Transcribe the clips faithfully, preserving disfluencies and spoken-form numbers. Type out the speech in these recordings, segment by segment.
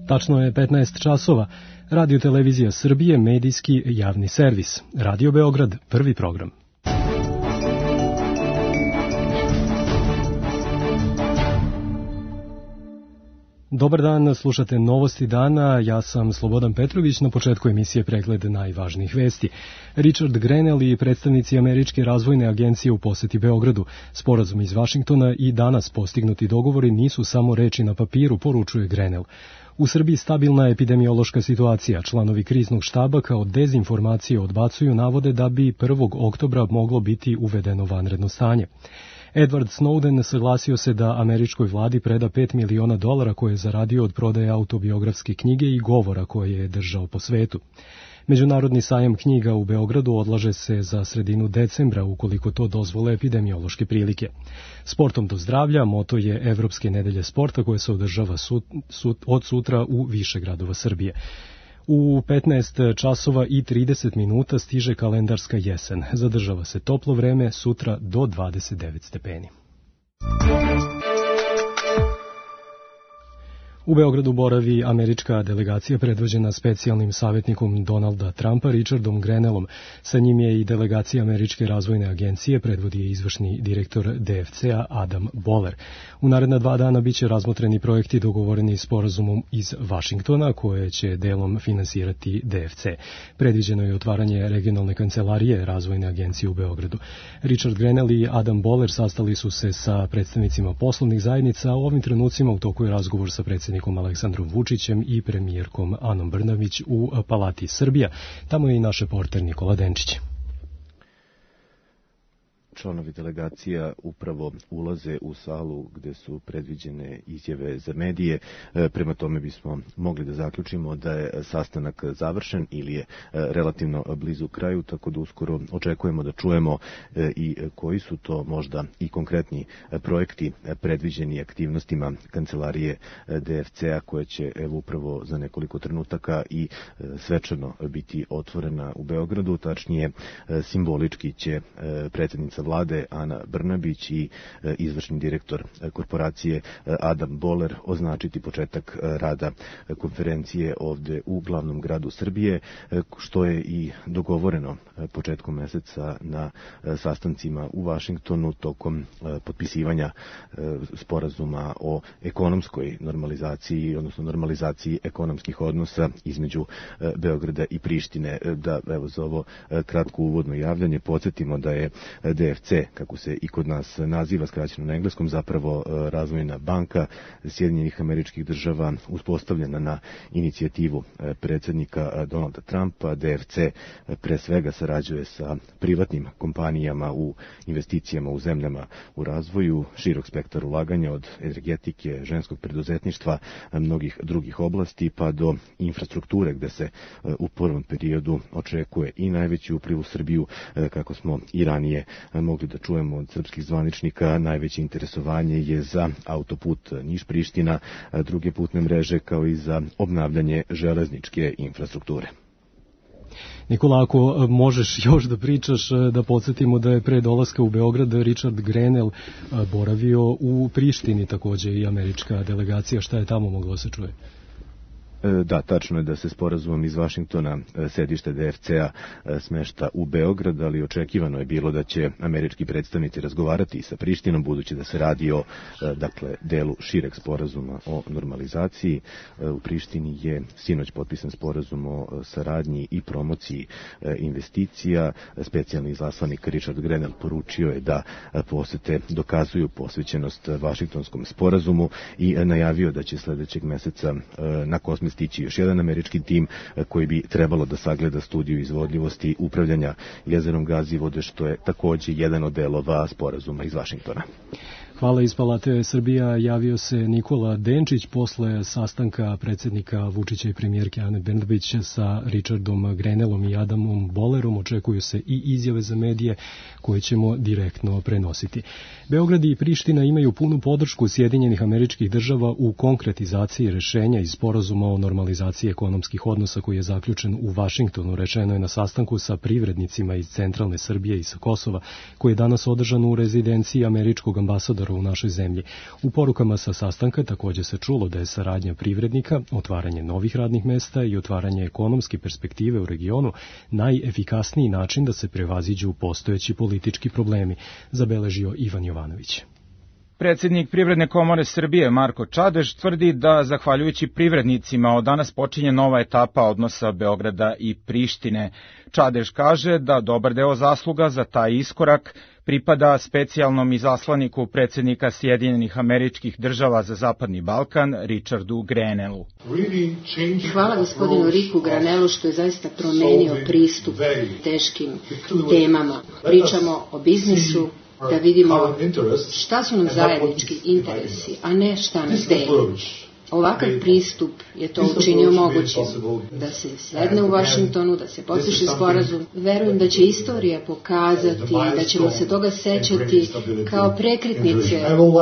Tačno je petnaest časova. Radio Televizija Srbije, medijski javni servis. Radio Beograd, prvi program. Dobar dan, slušate Novosti dana, ja sam Slobodan Petrović, na početku emisije pregled najvažnijih vesti. Richard Grenell i predstavnici Američke razvojne agencije u poseti Beogradu. Sporazum iz Vašingtona i danas postignuti dogovori nisu samo reči na papiru, poručuje Grenell. U Srbiji stabilna epidemiološka situacija. Članovi kriznog štaba kao dezinformacije odbacuju navode da bi prvog oktobra moglo biti uvedeno vanredno stanje. Edward Snowden saglasio se da američkoj vladi preda pet miliona dolara koje je zaradio od prodaje autobiografske knjige i govora koje je držao po svetu. Međunarodni sajam knjiga u Beogradu odlaže se za sredinu decembra ukoliko to dozvole epidemiološke prilike. Sportom do zdravlja moto je Evropske nedelje sporta koje se održava sut, sut, od sutra u više gradova Srbije. U petnaest časova i trideset minuta stiže kalendarska jesen. Zadržava se toplo vreme, sutra do dvadeset devet stepeni. U Beogradu boravi američka delegacija predvođena specijalnim savjetnikom Donalda Trumpa Richardom Grenellom. Sa njim je i delegacija Američke razvojne agencije, predvodi je izvršni direktor D F C-a Adam Boller. U naredna dva dana biće razmotreni projekti dogovoreni sporazumom iz Vašingtona koje će delom finansirati D F C. Predviđeno je otvaranje regionalne kancelarije razvojne agencije u Beogradu. Richard Grenell i Adam Boller sastali su se sa predstavnicima poslovnih zajednica, a u ovim trenucima u toku je razgovor sa predstavnicima Aleksandrom Vučićem i premijerkom Anom Brnabić u Palati Srbija. Tamo je i naš reporter Nikola Denčić. Članovi delegacija upravo ulaze u salu gde su predviđene izjave za medije. Prema tome bismo mogli da zaključimo da je sastanak završen ili je relativno blizu kraju, tako da uskoro očekujemo da čujemo i koji su to možda i konkretni projekti predviđeni aktivnostima kancelarije D F C-a koja će evo upravo za nekoliko trenutaka i svečano biti otvorena u Beogradu. Tačnije, simbolički će predsjednica vlade Ana Brnabić i izvršni direktor korporacije Adam Boller označiti početak rada konferencije ovde u glavnom gradu Srbije, što je i dogovoreno početkom meseca na sastancima u Vašingtonu tokom potpisivanja sporazuma o ekonomskoj normalizaciji, odnosno normalizaciji ekonomskih odnosa između Beograda i Prištine. Da, evo za ovo kratko uvodno javljanje podsjetimo da je D F C, kako se i kod nas naziva skraćeno na engleskom, zapravo razvojna banka Sjedinjenih Američkih Država uspostavljena na inicijativu predsjednika Donalda Trumpa. D F C pre svega sarađuje sa privatnim kompanijama u investicijama u zemljama u razvoju, širok spektar ulaganja od energetike, ženskog preduzetništva, mnogih drugih oblasti pa do infrastrukture gde se u prvom periodu očekuje i najveći upliv u Srbiju, kako smo i ranije mogli da čujemo od srpskih zvaničnika. Najveće interesovanje je za autoput Niš-Priština, druge putne mreže kao i za obnavljanje železničke infrastrukture. Nikola, ako možeš još da pričaš, da podsjetimo da je pre dolaska u Beograd Richard Grenell boravio u Prištini, takođe i američka delegacija. Šta je tamo moglo se čuje? Da, tačno je da se sporazumom iz Vašingtona sedište D F C-a smešta u Beograd, ali očekivano je bilo da će američki predstavnici razgovarati sa Prištinom, budući da se radi o dakle, delu šireg sporazuma o normalizaciji. U Prištini je sinoć potpisan sporazum o saradnji i promociji investicija. Specijalni izaslanik Richard Grenell poručio je da posete dokazuju posvećenost Vašingtonskom sporazumu i najavio da će sledećeg meseca na kosmičkom stići još jedan američki tim koji bi trebalo da sagleda studiju izvodljivosti upravljanja jezerom Gazivode, što je takođe jedan od delova sporazuma iz Vašingtona. Hvala. Iz Palate Srbija javio se Nikola Denčić posle sastanka predsjednika Vučića i premijerke Ane Brnabić sa Richardom Grenellom i Adamom Bollerom. Očekuju se i izjave za medije koje ćemo direktno prenositi. Beograd i Priština imaju punu podršku Sjedinjenih Američkih Država u konkretizaciji rešenja iz sporazuma o normalizaciji ekonomskih odnosa koji je zaključen u Vašingtonu, rečeno je na sastanku sa privrednicima iz centralne Srbije i sa Kosova, koji je danas održan u rezidenciji američkog ambasadora prostoru u našoj zemlji. U porukama sa sastanka također se čulo da je saradnja privrednika, otvaranje novih radnih mesta i otvaranje ekonomske perspektive u regionu najefikasniji način da se prevaziđu postojeći politički problemi, zabeležio Ivan Jovanović. Predsjednik Privredne komore Srbije Marko Čadež tvrdi da, zahvaljujući privrednicima, od danas počinje nova etapa odnosa Beograda i Prištine. Čadež kaže da dobar deo zasluga za taj iskorak pripada specijalnom izaslaniku predsjednika Sjedinjenih Američkih Država za Zapadni Balkan, Richardu Grenellu. Hvala gospodinu Riku Grenellu što je zaista promenio pristup teškim temama. Pričamo o biznisu, da vidimo šta su nam zajednički interesi, a ne šta nas deli. Ovakav pristup je to učinio mogućim, da se sedne u Vašingtonu, da se potpiše sporazum. Verujem da će istorija pokazati, da ćemo se toga sećati kao prekretnice u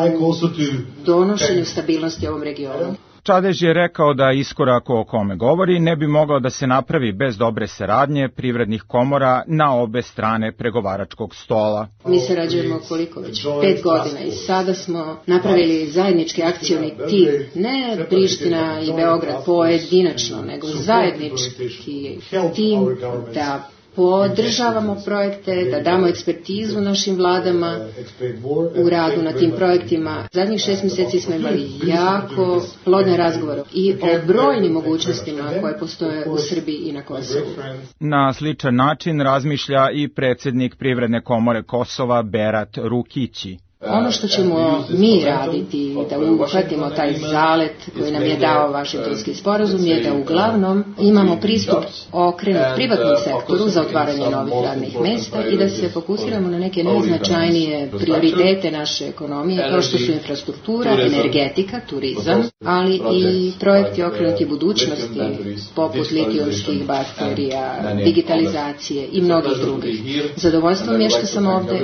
donošenju stabilnosti ovom regionu. Čadež je rekao da iskorak o kome govori ne bi mogao da se napravi bez dobre saradnje privrednih komora na obe strane pregovaračkog stola. Mi sarađujemo koliko već pet godina i sada smo napravili zajednički akcioni tim, ne Priština i Beograd pojedinačno, nego zajednički tim da podržavamo projekte, da damo ekspertizu našim vladama u radu na tim projektima. Zadnjih šest mjeseci smo imali jako plodne razgovore i o brojnim mogućnostima koje postoje u Srbiji i na Kosovu. Na sličan način razmišlja i predsjednik Privredne komore Kosova Berat Rukići. Ono što ćemo mi raditi, da uhvatimo taj zalet koji nam je dao Vašingtonski sporazum, je da uglavnom imamo pristup okrenut privatnom sektoru za otvaranje novih radnih mesta i da se fokusiramo na neke najznačajnije prioritete naše ekonomije, kao što su infrastruktura, energetika, turizam, ali i projekti okrenuti budućnosti, poput litijumskih baterija, digitalizacije i mnogih drugih. Zadovoljstvo mi je što sam ovde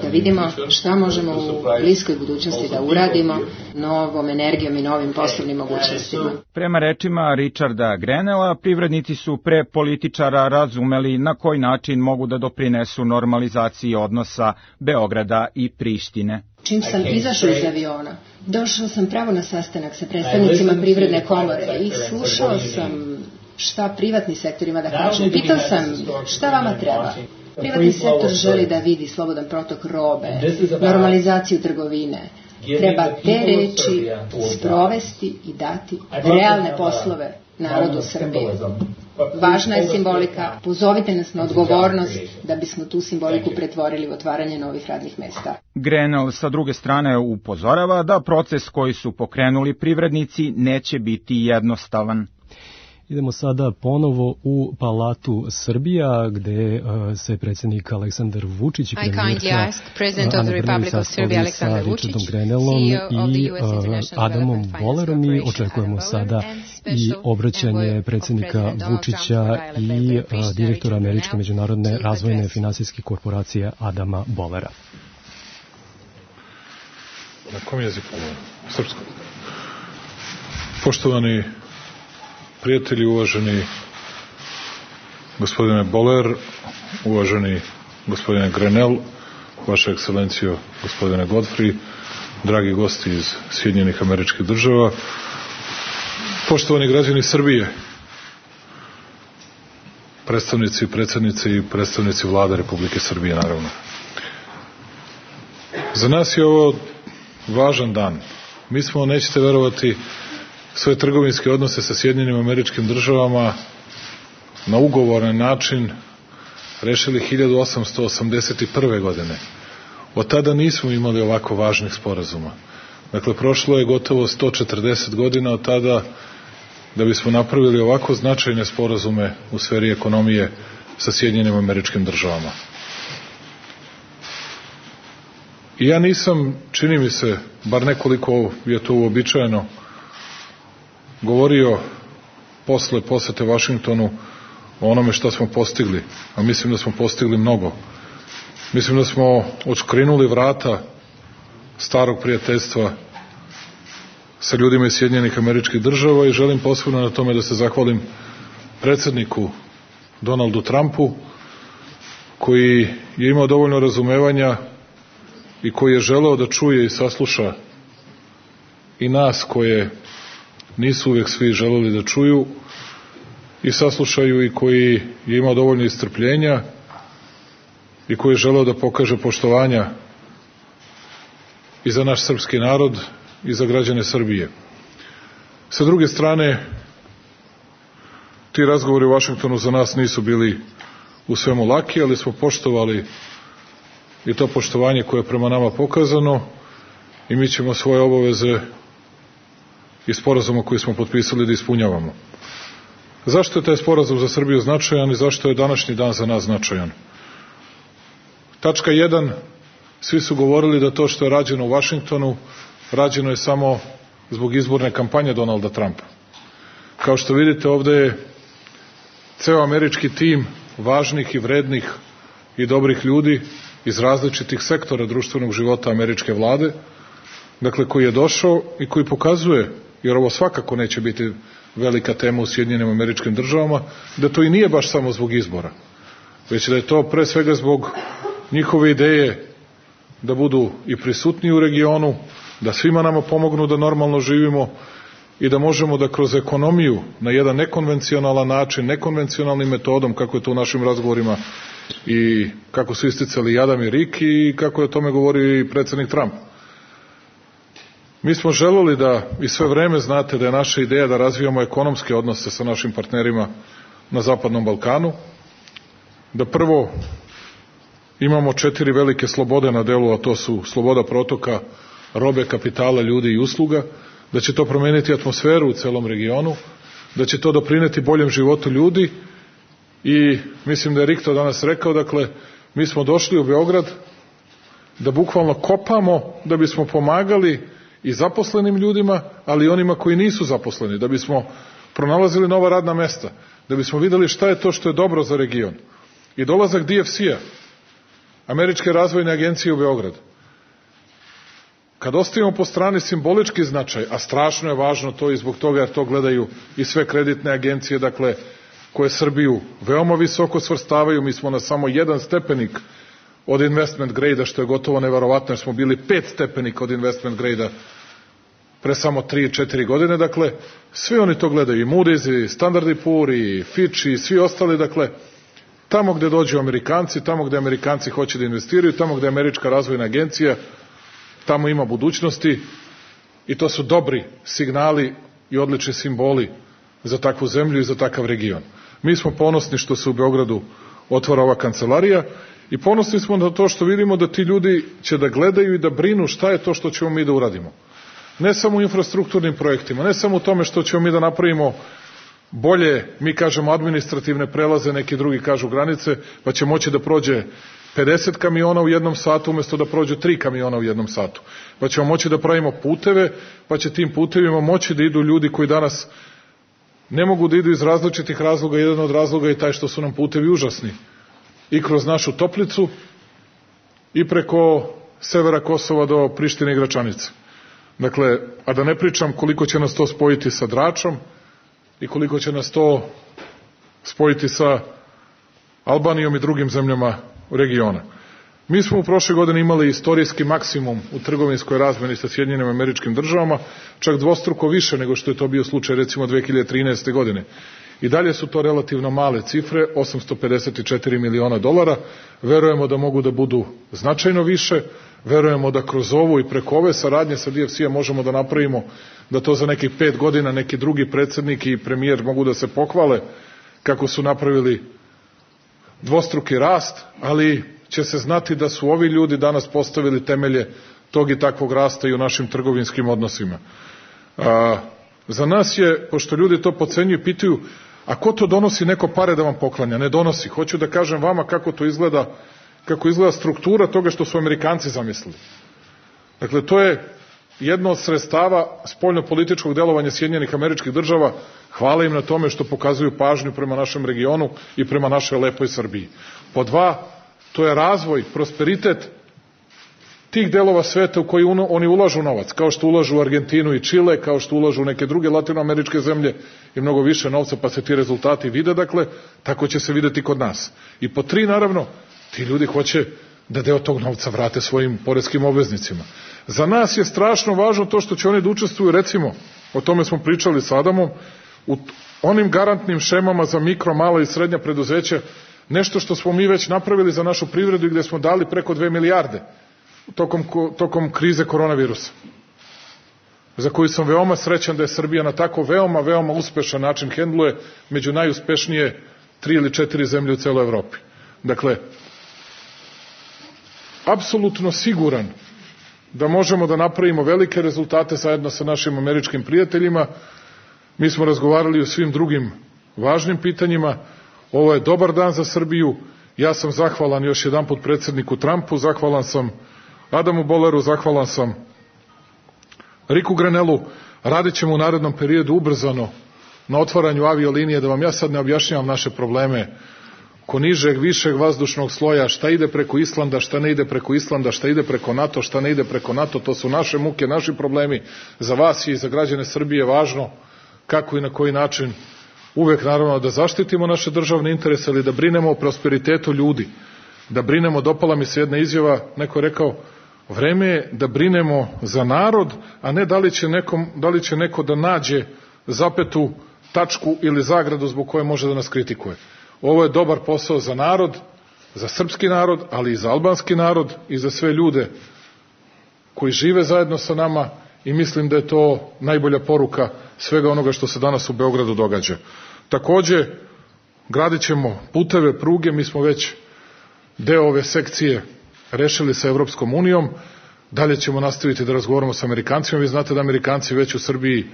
da vidimo šta možemo u bliskoj budućnosti da uradimo novom energijom i novim poslovnim mogućnostima. Prema rečima Richarda Grenella, privrednici su pre političara razumeli na koji način mogu da doprinesu normalizaciji odnosa Beograda i Prištine. Čim sam izašao iz aviona, došao sam pravo na sastanak sa predstavnicima Privredne komore i slušao sam šta privatni sektor ima da kaže. Pitao sam šta vama treba. Privatni sektor želi da vidi slobodan protok robe, normalizaciju trgovine. Treba te reči sprovesti i dati realne poslove narodu Srbije. Važna je simbolika, pozovite nas na odgovornost da bismo tu simboliku pretvorili u otvaranje novih radnih mesta. Grenell sa druge strane upozorava da proces koji su pokrenuli privrednici neće biti jednostavan. Idemo sada ponovo u Palatu Srbija, gde uh, se predsjednik Aleksandar Vučić i premijerka sa Richardom Grenellom i uh, Adamom Bolerom i očekujemo sada i obraćanje predsjednika Vučića i uh, direktora Američke međunarodne razvojne finansijske korporacije Adama Bolera. Na kom jeziku? Srpskom. Poštovani prijatelji, uvaženi gospodine Boler, uvaženi gospodine Grenell, vaša ekscelencijo gospodine Godfrey, dragi gosti iz Sjedinjenih Američkih Država, poštovani građani Srbije, predstavnici, predsjednici i predstavnici vlade Republike Srbije, naravno. Za nas je ovo važan dan. Mi smo, nećete verovati, svoje trgovinske odnose sa Sjedinjenim Američkim Državama na ugovoran način rešili hiljadu osamsto osamdeset prve. godine. Od tada nismo imali ovako važnih sporazuma. Dakle, prošlo je gotovo sto četrdeset godina od tada da bismo napravili ovako značajne sporazume u sferi ekonomije sa Sjedinjenim Američkim Državama. I ja nisam, čini mi se, bar nekoliko je to uobičajeno, govorio posle posete Vašingtonu o onome što smo postigli, a mislim da smo postigli mnogo. Mislim da smo odškrinuli vrata starog prijateljstva sa ljudima iz Sjedinjenih Američkih Država i želim posebno na tome da se zahvalim predsjedniku Donaldu Trumpu, koji je imao dovoljno razumevanja i koji je želeo da čuje i sasluša i nas koje nisu uvijek svi želeli da čuju i saslušaju, i koji je imao dovoljno istrpljenja i koji je želeo da pokaže poštovanja i za naš srpski narod i za građane Srbije. Sa druge strane, ti razgovori u Vašingtonu za nas nisu bili u svemu laki, ali smo poštovali i to poštovanje koje je prema nama pokazano, i mi ćemo svoje obaveze i sporazuma koji smo potpisali da ispunjavamo. Zašto je taj sporazum za Srbiju značajan i zašto je današnji dan za nas značajan? Tačka jedan, svi su govorili da to što je rađeno u Vašingtonu, rađeno je samo zbog izborne kampanje Donalda Trumpa. Kao što vidite, ovde je ceo američki tim važnih i vrednih i dobrih ljudi iz različitih sektora društvenog života američke vlade, dakle koji je došao i koji pokazuje, jer ovo svakako neće biti velika tema u Sjedinjenim Američkim Državama, da to i nije baš samo zbog izbora, već da je to pre svega zbog njihove ideje da budu i prisutni u regionu, da svima nama pomognu da normalno živimo i da možemo da kroz ekonomiju na jedan nekonvencionalan način, nekonvencionalnim metodom, kako je to u našim razgovorima i kako su isticali i Adam i Rik i kako je o tome govorio i predsednik Trump. Mi smo želeli da, i sve vreme znate da je naša ideja da razvijamo ekonomske odnose sa našim partnerima na Zapadnom Balkanu, da prvo imamo četiri velike slobode na delu, a to su sloboda protoka robe, kapitala, ljudi i usluga, da će to promeniti atmosferu u celom regionu, da će to doprineti boljem životu ljudi, i mislim da je Rik to danas rekao, dakle, mi smo došli u Beograd da bukvalno kopamo da bismo pomagali i zaposlenim ljudima, ali i onima koji nisu zaposleni, da bismo pronalazili nova radna mesta, da bismo videli šta je to što je dobro za region. I dolazak D F C-a, Američke razvojne agencije u Beograd, kad ostavimo po strani simbolički značaj, a strašno je važno to i zbog toga jer to gledaju i sve kreditne agencije, dakle, koje Srbiju veoma visoko svrstavaju, mi smo na samo jedan stepenik od investment grade-a, što je gotovo neverovatno, jer smo bili pet stepenika od investment grade-a pre samo tri četiri godine, dakle, svi oni to gledaju, i Moody's, i Standard and Poor, i Fitch, i svi ostali, dakle, tamo gde dođu Amerikanci, tamo gde Amerikanci hoće da investiraju, tamo gde je Američka razvojna agencija, tamo ima budućnosti, i to su dobri signali i odlični simboli za takvu zemlju i za takav region. Mi smo ponosni što se u Beogradu otvara ova kancelarija i ponosni smo na to što vidimo da ti ljudi će da gledaju i da brinu šta je to što ćemo mi da uradimo. Ne samo u infrastrukturnim projektima, ne samo u tome što ćemo mi da napravimo bolje, mi kažemo administrativne prelaze, neki drugi kažu granice, pa će moći da prođe pedeset kamiona u jednom satu umesto da prođu tri kamiona u jednom satu. Pa ćemo moći da pravimo puteve, pa će tim putevima moći da idu ljudi koji danas ne mogu da idu iz različitih razloga. Jedan od razloga je taj što su nam putevi užasni. I kroz našu Toplicu i preko severa Kosova do Prištine i Gračanice. Dakle, a da ne pričam koliko će nas to spojiti sa Dračom i koliko će nas to spojiti sa Albanijom i drugim zemljama regiona. Mi smo u prošle godine imali istorijski maksimum u trgovinskoj razmeni sa Sjedinjenim Američkim Državama, čak dvostruko više nego što je to bio slučaj recimo dve hiljade trinaeste. godine. I dalje su to relativno male cifre, osamsto pedeset četiri miliona dolara. Verujemo da mogu da budu značajno više, verujemo da kroz ovu i preko ove saradnje sa D F C-a možemo da napravimo da to za nekih pet godina neki drugi predsednik i premijer mogu da se pohvale kako su napravili dvostruki rast, ali će se znati da su ovi ljudi danas postavili temelje tog i takvog rasta i u našim trgovinskim odnosima. A, za nas je, pošto ljudi to podcenjuju i pitaju, a ko to donosi neko pare da vam poklanja? Ne donosi. Hoću da kažem vama kako to izgleda, kako izgleda struktura toga što su Amerikanci zamislili. Dakle, to je jedno od sredstava spoljno-političkog delovanja Sjedinjenih Američkih Država. Hvala im na tome što pokazuju pažnju prema našem regionu i prema našoj lepoj Srbiji. Po dva, to je razvoj, prosperitet tih delova sveta u koji oni ulažu novac, kao što ulažu u Argentinu i Čile, kao što ulažu u neke druge latinoameričke zemlje i mnogo više novca, pa se ti rezultati vide, dakle, tako će se videti kod nas. I po tri, naravno, ti ljudi hoće da deo tog novca vrate svojim poreskim obveznicima. Za nas je strašno važno to što će oni da učestvuju, recimo, o tome smo pričali s Adamom, u onim garantnim šemama za mikro, mala i srednja preduzeća, nešto što smo mi već napravili za našu privredu i gde smo dali preko dve milijarde tokom, tokom krize koronavirusa, za koju sam veoma srećan da je Srbija na tako veoma, veoma uspešan način hendluje, među najuspešnije tri ili četiri zemlje u celoj Evropi. Dakle, apsolutno siguran da možemo da napravimo velike rezultate zajedno sa našim američkim prijateljima. Mi smo razgovarali o svim drugim važnim pitanjima. Ovo je dobar dan za Srbiju. Ja sam zahvalan još jedan put predsjedniku Trumpu, zahvalan sam Adamu Boleru, zahvalan sam Riku Grenelu. Radit ćemo u narednom periodu ubrzano na otvaranju aviolinije, da vam ja sad ne objašnjavam naše probleme ko nižeg, višeg vazdušnog sloja, šta ide preko Islanda, šta ne ide preko Islanda, šta ide preko NATO, šta ne ide preko NATO, to su naše muke, naši problemi. Za vas i za građane Srbije važno kako i na koji način uvek naravno da zaštitimo naše državne interese, ali da brinemo o prosperitetu ljudi, da brinemo, dopala mi se jedna izjava, neko je rekao, vreme je da brinemo za narod, a ne da li će, nekom, da li će neko da nađe zapetu, tačku ili zagradu zbog koje može da nas kritikuje. Ovo je dobar posao za narod, za srpski narod, ali i za albanski narod i za sve ljude koji žive zajedno sa nama i mislim da je to najbolja poruka svega onoga što se danas u Beogradu događa. Takođe, gradit ćemo puteve, pruge, mi smo već deo ove sekcije rešili sa Evropskom unijom, dalje ćemo nastaviti da razgovaramo sa Amerikancima. Vi znate da Amerikanci već u Srbiji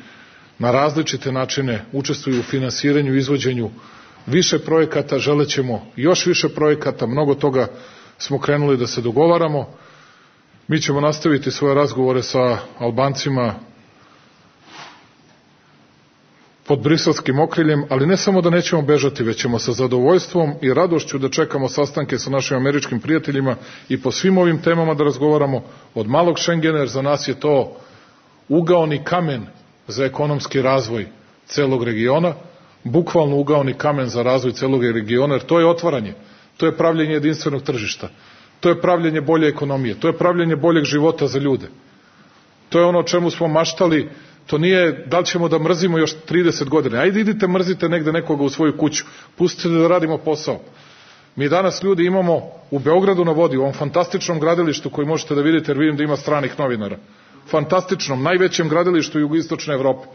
na različite načine učestvuju u finansiranju i izvođenju više projekata, želećemo još više projekata, mnogo toga smo krenuli da se dogovaramo. Mi ćemo nastaviti svoje razgovore sa Albancima pod briselskim okriljem, ali ne samo da nećemo bežati, već ćemo sa zadovoljstvom i radošću da čekamo sastanke sa našim američkim prijateljima i po svim ovim temama da razgovaramo, od malog Šengena, jer za nas je to ugaoni kamen za ekonomski razvoj celog regiona, bukvalno ugaoni kamen za razvoj celog regiona, jer to je otvaranje, to je pravljenje jedinstvenog tržišta, to je pravljenje bolje ekonomije, to je pravljenje boljeg života za ljude. To je ono o čemu smo maštali. To nije da li ćemo da mrzimo još trideset godina. Ajde idite mrzite negde nekoga u svoju kuću, pustite da radimo posao. Mi danas ljudi imamo u Beogradu na vodi, u ovom fantastičnom gradilištu koji možete da vidite, jer vidim da ima stranih novinara, fantastičnom, najvećem gradilištu jugoistočne Evrope,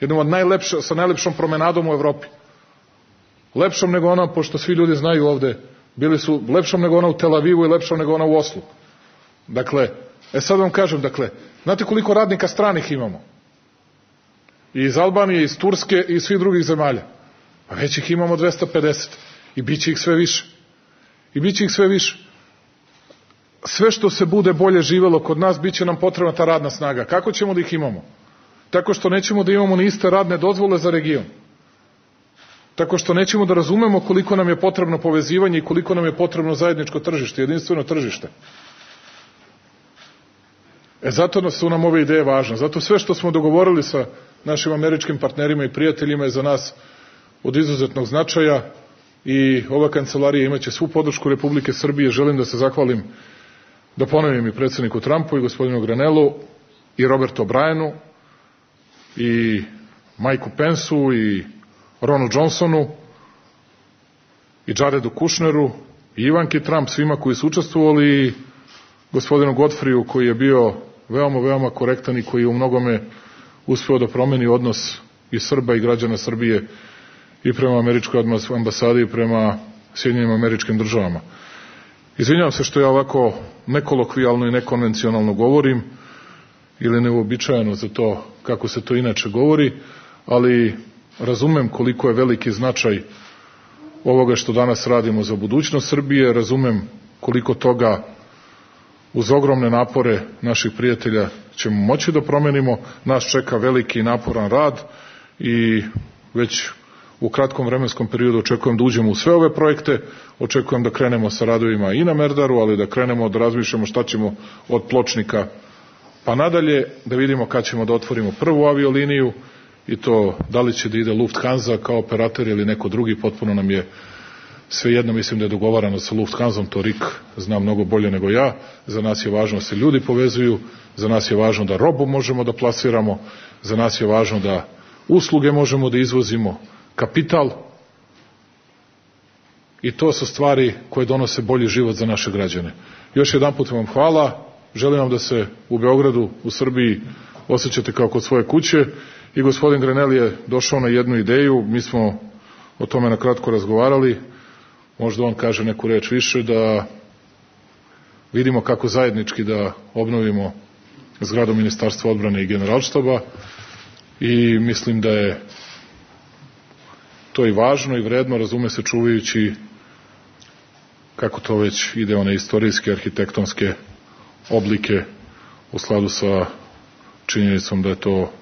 jednom od najlepše, sa najlepšom promenadom u Evropi, lepšom nego ona, pošto svi ljudi znaju ovde, bili su lepšom nego ona u Tel Avivu i lepšom nego ona u Oslu. Dakle, e sad vam kažem, dakle, znate koliko radnika stranih imamo? I iz Albanije, iz Turske i svih drugih zemalja. A već ih imamo dvesta pedeset. I bit će ih sve više. I bit će ih sve više. Sve što se bude bolje živelo kod nas, bit će nam potrebna ta radna snaga. Kako ćemo da ih imamo? Tako što nećemo da imamo ni iste radne dozvole za region. Tako što nećemo da razumemo koliko nam je potrebno povezivanje i koliko nam je potrebno zajedničko tržište, jedinstveno tržište. E zato su nam ove ideje važne. Zato sve što smo dogovorili sa našim američkim partnerima i prijateljima je za nas od izuzetnog značaja i ova kancelarija imaće svu podršku Republike Srbije. Želim da se zahvalim, da ponovim i predsjedniku Trumpu i gospodinu Grenelu i Robertu O'Brienu i Majku Pensu i Ronu Johnsonu i Jaredu Kushneru i Ivanki Trump, svima koji su učestvovali, i gospodinu Godfriju koji je bio veoma, veoma korektan i koji je u mnogome uspeo da promeni odnos i Srba i građana Srbije i prema američkoj ambasadi i prema Sjedinjenim Američkim Državama. Izvinjavam se što ja ovako nekolokvijalno i nekonvencionalno govorim ili neuobičajeno za to kako se to inače govori, ali razumem koliko je veliki značaj ovoga što danas radimo za budućnost Srbije, razumem koliko toga uz ogromne napore naših prijatelja ćemo moći da promenimo. Nas čeka veliki i naporan rad i već u kratkom vremenskom periodu očekujem da uđemo u sve ove projekte, očekujem da krenemo sa radovima i na Merdaru, ali da krenemo da razmišljamo šta ćemo od Pločnika pa nadalje, da vidimo kad ćemo da otvorimo prvu avioliniju i to da li će da ide Lufthansa kao operator ili neko drugi, potpuno nam je Svejedno mislim da je dogovarano sa Lufthansom, to Rik zna mnogo bolje nego ja. Za nas je važno da se ljudi povezuju, za nas je važno da robu možemo da plasiramo, za nas je važno da usluge možemo da izvozimo, kapital. I to su stvari koje donose bolji život za naše građane. Još jedan put vam hvala. Želim vam da se u Beogradu, u Srbiji osjećate kao kod svoje kuće. I gospodin Grenell je došao na jednu ideju. Mi smo o tome na kratko razgovarali. Možda on kaže neku reč više, da vidimo kako zajednički da obnovimo zgradu Ministarstva odbrane i Generalštaba. I mislim da je to i važno i vredno, razume se, čuvajući kako to već ide, one istorijske, arhitektonske oblike u skladu sa činjenicom da je to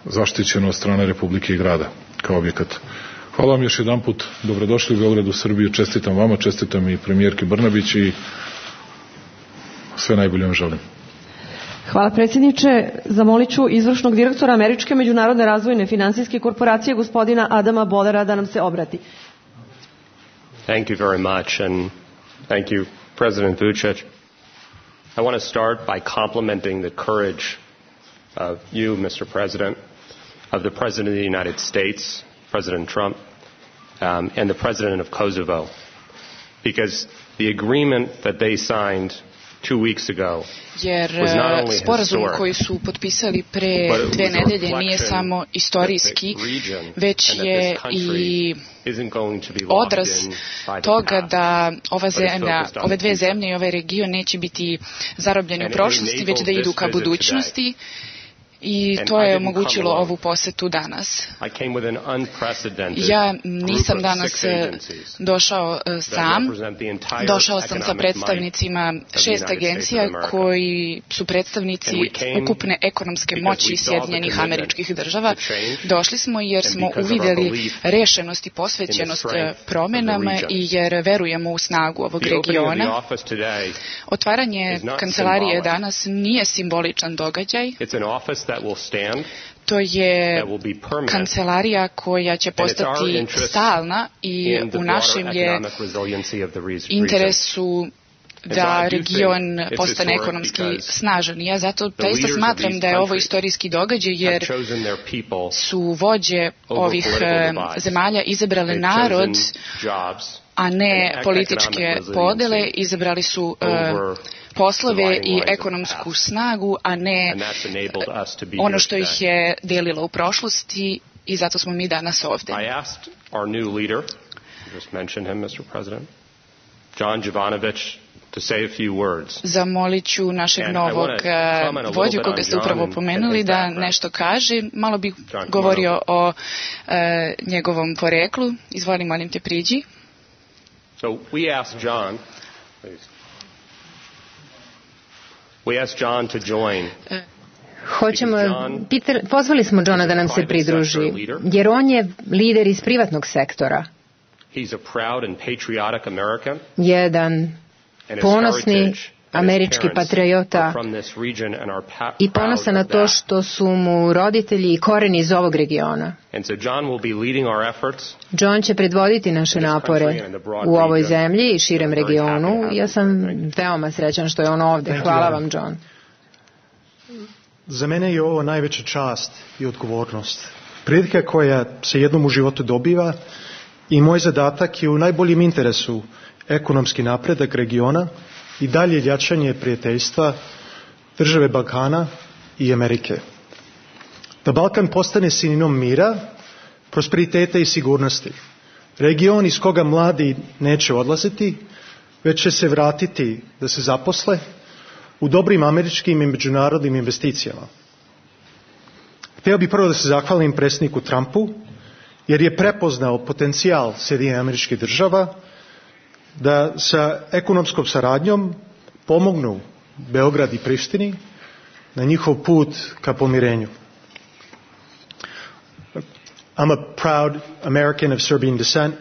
zaštićeno od strane Republike i grada kao objekat. Hvala vam još jedan put, dobrodošli u Beogradu, Srbiju, čestitam vama, čestitam i premijerki Brnabić i sve najbolje vam želim. Hvala predsjedniče. Zamolit ću izvršnog direktora Američke međunarodne razvojne finansijske korporacije, gospodina Adama Bodera, da nam se obrati. Thank you very much, and thank you, President Vučić. I want to start by complimenting the courage of you, Mister President, of the President of the United States, President Trump, um, and the President of Kosovo, because the agreement that they signed two weeks ago jer sporazum koji su potpisali pre dve nedelje nije samo istorijski, već je i odraz toga da ova zemlja, ove dve zemlje i ovaj region neće biti zarobljeni u prošlosti, već da idu ka budućnosti. I to je omogućilo ovu posetu danas. Ja nisam danas došao sam, došao sam sa predstavnicima šest agencija koji su predstavnici ukupne ekonomske moći Sjedinjenih Američkih Država. Došli smo jer smo uvideli rešenost i posvećenost promenama i jer verujemo u snagu ovog regiona. Otvaranje kancelarije danas nije simboličan događaj. To je kancelarija koja će postati stalna i u našem je interesu da region postane ekonomski snažan. Ja zato zaista smatram da je ovo istorijski događaj jer su vođe ovih zemalja izabrale narod, a ne političke podele. Izabrali su poslove i ekonomsku snagu, a ne ono što ih je delilo u prošlosti, i zato smo mi danas ovde. Zamolit ću našeg novog vođu, koga ste upravo pomenuli, da nešto kaže. Malo bih govorio o njegovom poreklu. Izvoli, molim te, priđi. So we asked John, we asked John to join. Hoćemo, Peter, pozvali smo Johna da nam se pridruži, jer on je lider iz privatnog sektora. Jedan ponosni američki patriota i ponosan na to što su mu roditelji i koreni iz ovog regiona. John će predvoditi naše napore u ovoj zemlji i širem regionu. Ja sam veoma srećan što je on ovde. Hvala vam, John. Za mene je ovo najveća čast i odgovornost. Prilika koja se jednom u životu dobiva i moj zadatak je u najboljem interesu ekonomski napredak regiona i dalje jačanje prijateljstva države Balkana i Amerike. Da Balkan postane sinonim mira, prosperiteta i sigurnosti. Region iz koga mladi neće odlaziti, već će se vratiti da se zaposle u dobrim američkim i međunarodnim investicijama. Htio bih prvo da se zahvalim predsjedniku Trumpu, jer je prepoznao potencijal Sjedinjenih Američkih Država da sa ekonomskom saradnjom pomognu Beograd i Prištini na njihov put ka pomirenju. I'm a proud American of Serbian descent,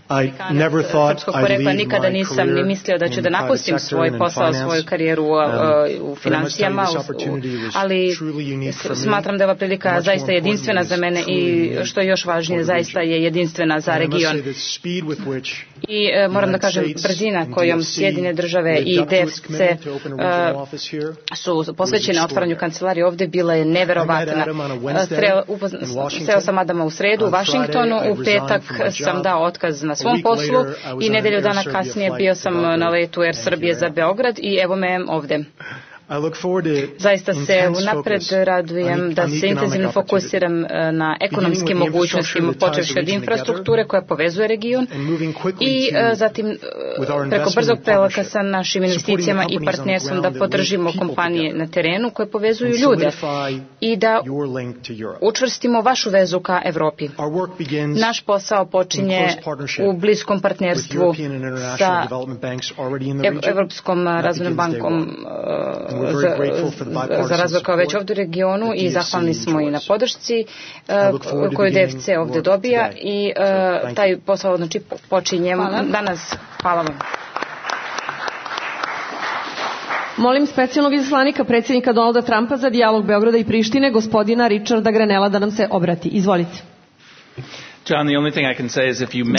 Amerikanac srpskog porekla, nikada nisam ni mislio da ću da napustim svoj posao, svoju karijeru u financijama, ali smatram da je ova prilika zaista jedinstvena za mene i što je još važnije, zaista je jedinstvena za region. I moram da kažem, brzina kojom Sjedinjene države i D F C su posvećene otvaranju kancelarije ovde bila je neverovatna. Sreo sam Adama u sredu u Vašingtonu, u petak sam dao otkaz na svom poslu i nedelju dana kasnije bio sam na letu Air Srbije za Beograd i evo me ovde. Zaista se unapred radujem da se intenzivno fokusiram na ekonomskim mogućnostima, počevši od infrastrukture koja povezuje region i zatim preko brzog prelaka sa našim investicijama i partnerstvom da podržimo kompanije na terenu koje povezuju ljude i da učvrstimo vašu vezu ka Evropi. Naš posao počinje u bliskom partnerstvu sa Evropskom razvojnom bankom za, za razvoj kao već ovdje u regionu i zahvalni smo i na podršci uh, koju D F C ovdje dobija i uh, taj posao znači počinje danas. Hvala vam. Molim specijalnog izaslanika predsjednika Donalda Trumpa za dijalog Beograda i Prištine, gospodina Richarda Grenella, da nam se obrati. Izvolite.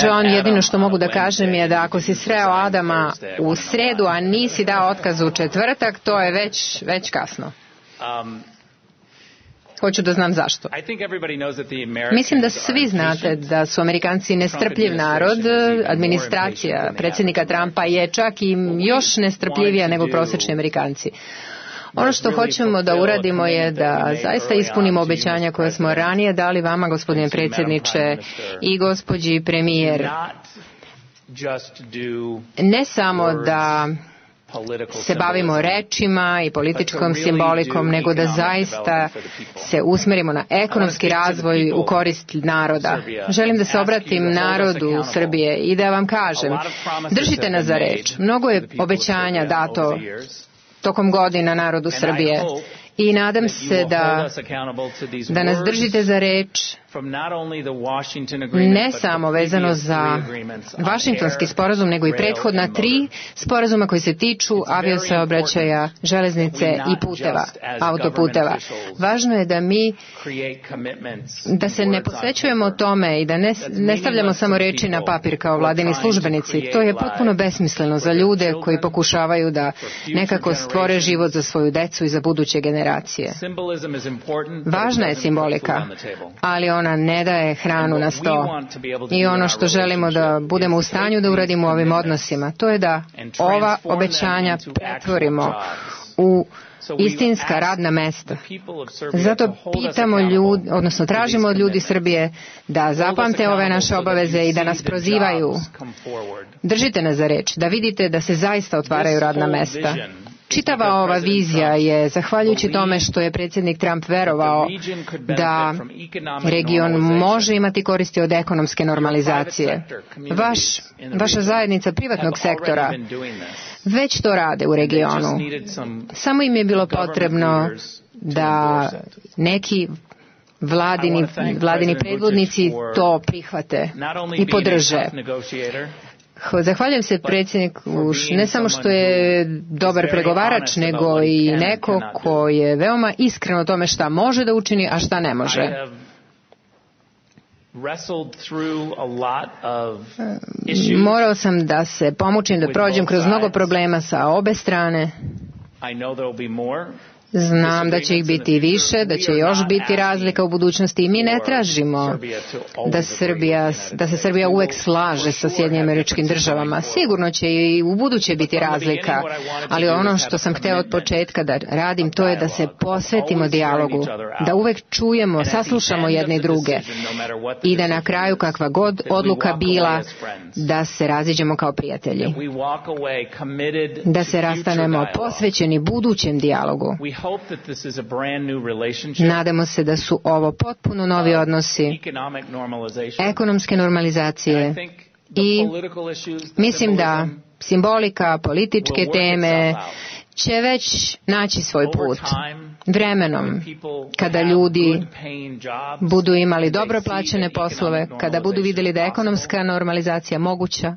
John, jedino što mogu da kažem je da ako si sreo Adama u sredu, a nisi dao otkaz u četvrtak, to je već, već kasno. Hoću da znam zašto. Mislim da svi znate da su Amerikanci nestrpljiv narod. Administracija predsjednika Trumpa je čak i još nestrpljivija nego prosječni Amerikanci. Ono što hoćemo da uradimo je da zaista ispunimo obećanja koje smo ranije dali vama, gospodine predsjedniče, i gospođi premijer. Ne samo da se bavimo rečima i političkom simbolikom, nego da zaista se usmerimo na ekonomski razvoj u korist naroda. Želim da se obratim narodu Srbije i da vam kažem, držite nas za reč. Mnogo je obećanja dato tokom godina narodu Srbije i nadam se da, da nas držite za reč, ne samo vezano za Vašingtonski sporazum, nego i prethodna tri sporazuma koji se tiču aviosaobraćaja, železnice i puteva, autoputeva. Važno je da mi da se ne posvećujemo tome i da ne, ne stavljamo samo reči na papir kao vladini službenici. To je potpuno besmisleno za ljude koji pokušavaju da nekako stvore život za svoju decu i za buduće generacije. Važna je simbolika, ali ona ne daje hranu na sto. I ono što želimo da budemo u stanju da uradimo u ovim odnosima, to je da ova obećanja pretvorimo u istinska radna mesta. Zato pitamo ljudi, odnosno tražimo od ljudi Srbije da zapamte ove naše obaveze i da nas prozivaju. Držite nas za reč, da vidite da se zaista otvaraju radna mesta. Čitava ova vizija je, zahvaljujući tome što je predsjednik Trump verovao da region može imati koristi od ekonomske normalizacije. Vaš, vaša zajednica privatnog sektora već to rade u regionu. Samo im je bilo potrebno da neki vladini, vladini predvodnici to prihvate i podrže. Zahvaljujem se predsjedniku ne samo što je dobar pregovarač, nego i neko ko je veoma iskren o tome šta može da učini, a šta ne može. Morao sam da se pomučim, da prođem kroz mnogo problema sa obe strane. Znam da će ih biti više, da će još biti razlika u budućnosti i mi ne tražimo da, Srbija, da se Srbija uvek slaže sa Sjedinjenim Američkim Državama. Sigurno će i u buduće biti razlika, ali ono što sam hteo od početka da radim, to je da se posvetimo dijalogu, da uvek čujemo, saslušamo jedne i druge i da na kraju kakva god odluka bila, da se raziđemo kao prijatelji, da se rastanemo posvećeni budućem dijalogu. Nadamo se da su ovo potpuno novi odnosi, ekonomske normalizacije i mislim da simbolika, političke teme će već naći svoj put. vremenom, kada ljudi budu imali dobro plaćene poslove, kada budu vidjeli da je ekonomska normalizacija moguća,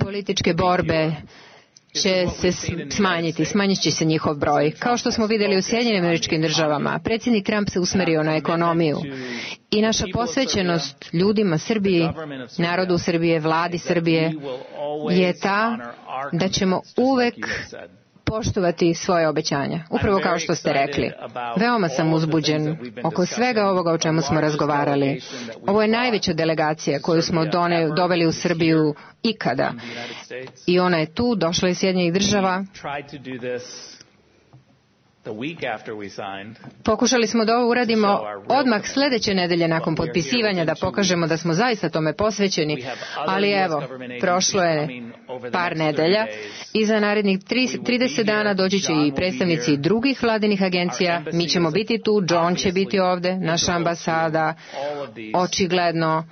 političke borbe će se smanjiti, smanjit će se njihov broj. Kao što smo vidjeli u Sjedinjenim Američkim Državama, predsjednik Trump se usmerio na ekonomiju i naša posvećenost ljudima Srbiji, narodu Srbije, vladi Srbije je ta da ćemo uvek poštovati svoje obećanja. Upravo kao što ste rekli. Veoma sam uzbuđen oko svega ovoga o čemu smo razgovarali. Ovo je najveća delegacija koju smo done, doveli u Srbiju ikada. I ona je tu, došla iz Sjedinjenih Država. Pokušali smo da ovo uradimo odmah sljedeće nedelje nakon potpisivanja, da pokažemo da smo zaista tome posvećeni, ali evo, prošlo je par nedelja i za narednih trideset dana doći će i predstavnici drugih vladinih agencija, mi ćemo biti tu, John će biti ovde, naša ambasada, očigledno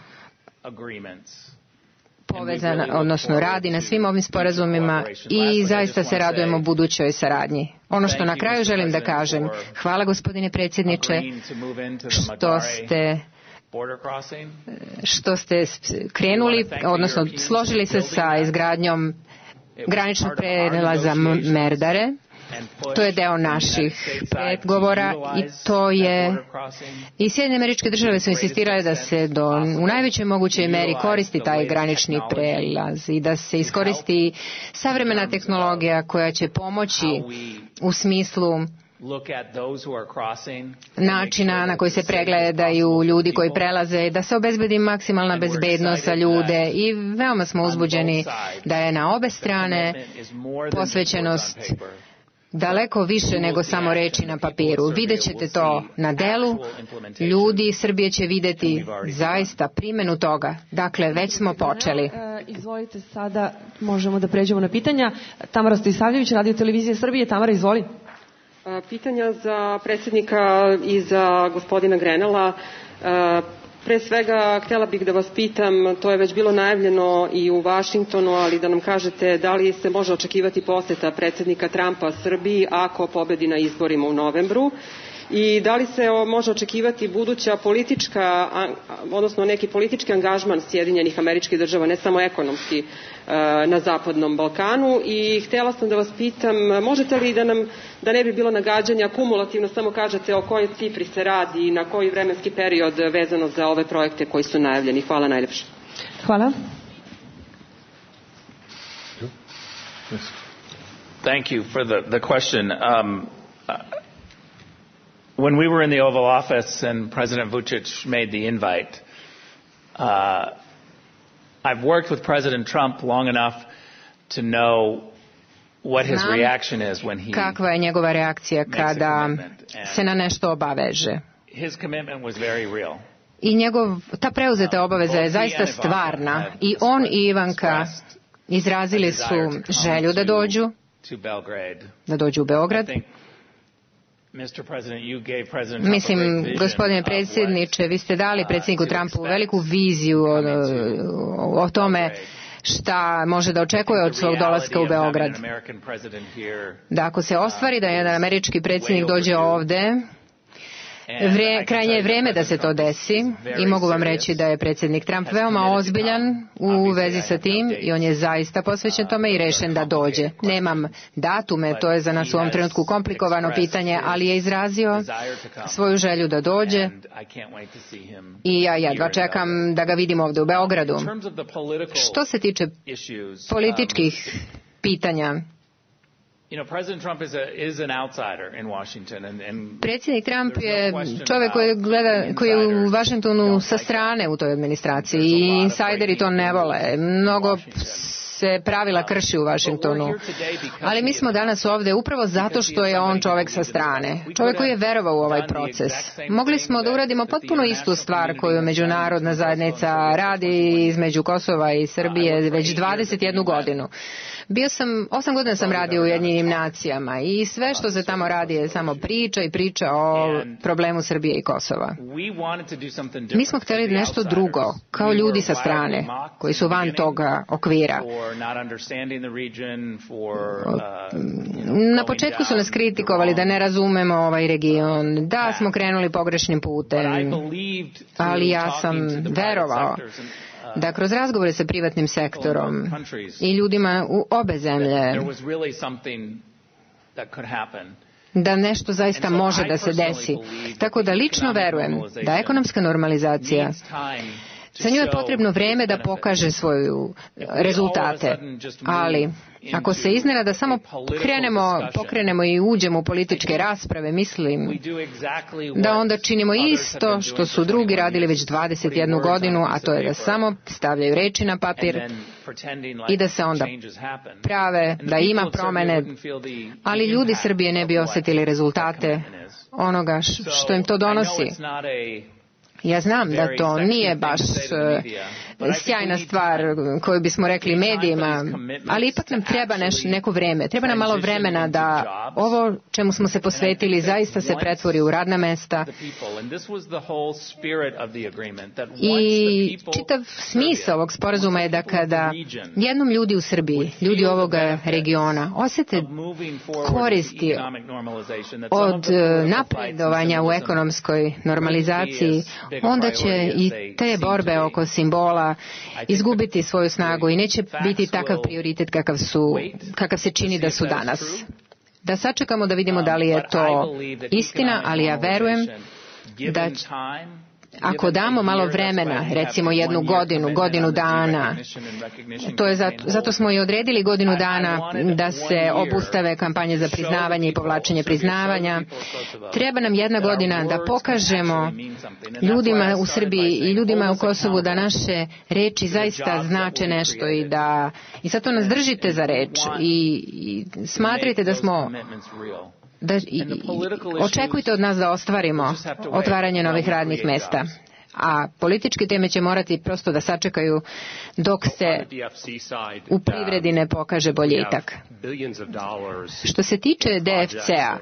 povezan, odnosno radi na svim ovim sporazumima i zaista se radujemo budućoj saradnji. Ono što na kraju želim da kažem, hvala gospodine predsjedniče što ste što ste krenuli, odnosno složili se sa izgradnjom graničnog prelaza Merdare. To je deo naših pregovora i to je i Sjedinjene Američke Države su insistirale da se do, u najvećoj mogućoj meri koristi taj granični prelaz i da se iskoristi savremena tehnologija koja će pomoći u smislu načina na koji se pregledaju ljudi koji prelaze, da se obezbedi maksimalna bezbednost za ljude i veoma smo uzbuđeni da je na obe strane posvećenost daleko više nego samo reči na papiru. Vidjet ćete to na delu, ljudi Srbije će vidjeti zaista primjenu toga. Dakle, već smo počeli. Izvolite, sada možemo da pređemo na pitanja. Tamara Stojisavljević, Radio Televizije Srbije. Tamara, izvoli. Pitanja za predsjednika i za gospodina Grenela. Pre svega, htjela bih da vas pitam, to je već bilo najavljeno i u Vašingtonu, ali da nam kažete da li se može očekivati posjeta predsjednika Trumpa Srbiji ako pobedi na izborima u novembru i da li se može očekivati buduća politička, odnosno neki politički angažman Sjedinjenih Američkih Država, ne samo ekonomski, na Zapadnom Balkanu. I htjela sam da vas pitam, možete li da nam, da ne bi bilo nagađanja, kumulativno samo kažete o kojoj cifri se radi i na koji vremenski period vezano za ove projekte koji su najavljeni. Hvala najljepše. Hvala. Thank you for the, the question. Um, uh, when we were in the Oval Office and President Vučić made the invite, uh, I've worked with President Trump long enough to know what his reaction is when he kakva je njegova reakcija kada se na nešto obaveže. His commitment was very real. I njegov, ta preuzeta obaveza je zaista stvarna i on i Ivanka izrazili su želju da dođu, da dođu u Beograd. Mislim, gospodine predsjedniče, vi ste dali predsjedniku Trumpu veliku viziju o, o tome šta može da očekuje od svog dolaska u Beograd. Da ako se ostvari da jedan američki predsjednik dođe ovde, Vre, krajnje je vrijeme da se to desi i mogu vam reći da je predsjednik Trump veoma ozbiljan u vezi sa tim i on je zaista posvećen tome i rešen da dođe. Nemam datume, to je za nas u ovom trenutku komplikovano pitanje, ali je izrazio svoju želju da dođe i ja jedva čekam da ga vidim ovdje u Beogradu. Što se tiče političkih pitanja, predsjednik Trump je čovjek koji gleda, koji je u Washingtonu sa strane u toj administraciji i insajderi to ne vole. Mnogo se pravila krši u Washingtonu. Ali mi smo danas ovdje upravo zato što je on čovjek sa strane. Čovjek koji je verovao u ovaj proces. Mogli smo da uradimo potpuno istu stvar koju međunarodna zajednica radi između Kosova i Srbije već dvadeset jednu godinu. Bio sam, osam godina sam radio u Ujedinjenim nacijama i sve što se tamo radi je samo priča i priča o problemu Srbije i Kosova. Mi smo htjeli nešto drugo, kao ljudi sa strane, koji su van toga okvira. Na početku su nas kritikovali da ne razumemo ovaj region, da smo krenuli pogrešnim putem, ali ja sam verovao da kroz razgovore sa privatnim sektorom i ljudima u obe zemlje da nešto zaista može da se desi. Tako da lično verujem da ekonomska normalizacija, za nju je potrebno vreme da pokaže svoje rezultate, ali ako se iznenada samo krenemo, pokrenemo i uđemo u političke rasprave, mislim da onda činimo isto što su drugi radili već dvadeset jednu godinu, a to je da samo stavljaju reči na papir i da se onda prave da ima promene, ali ljudi Srbije ne bi osjetili rezultate onoga što im to donosi. Ja znam da to nije baš sjajna stvar koju bismo rekli medijima, ali ipak nam treba neš, neko vreme. Treba nam malo vremena da ovo čemu smo se posvetili zaista se pretvori u radna mesta. I čitav smisao ovog sporazuma je da kada jednom ljudi u Srbiji, ljudi ovoga regiona, osjete koristi od napredovanja u ekonomskoj normalizaciji, onda će i te borbe oko simbola izgubiti svoju snagu i neće biti takav prioritet kakav, su, kakav se čini da su danas. Da sačekamo da vidimo da li je to istina, ali ja verujem da ako damo malo vremena, recimo jednu godinu, godinu dana, to je zato, zato smo i odredili godinu dana da se obustave kampanje za priznavanje i povlačenje priznavanja. Treba nam jedna godina da pokažemo ljudima u Srbiji i ljudima u Kosovu da naše reči zaista znače nešto i da i zato nas držite za reč i, i smatrate da smo da i, očekujte od nas da ostvarimo otvaranje novih radnih mesta. A političke teme će morati prosto da sačekaju dok se u privredi ne pokaže boljitak. Što se tiče D F C-a,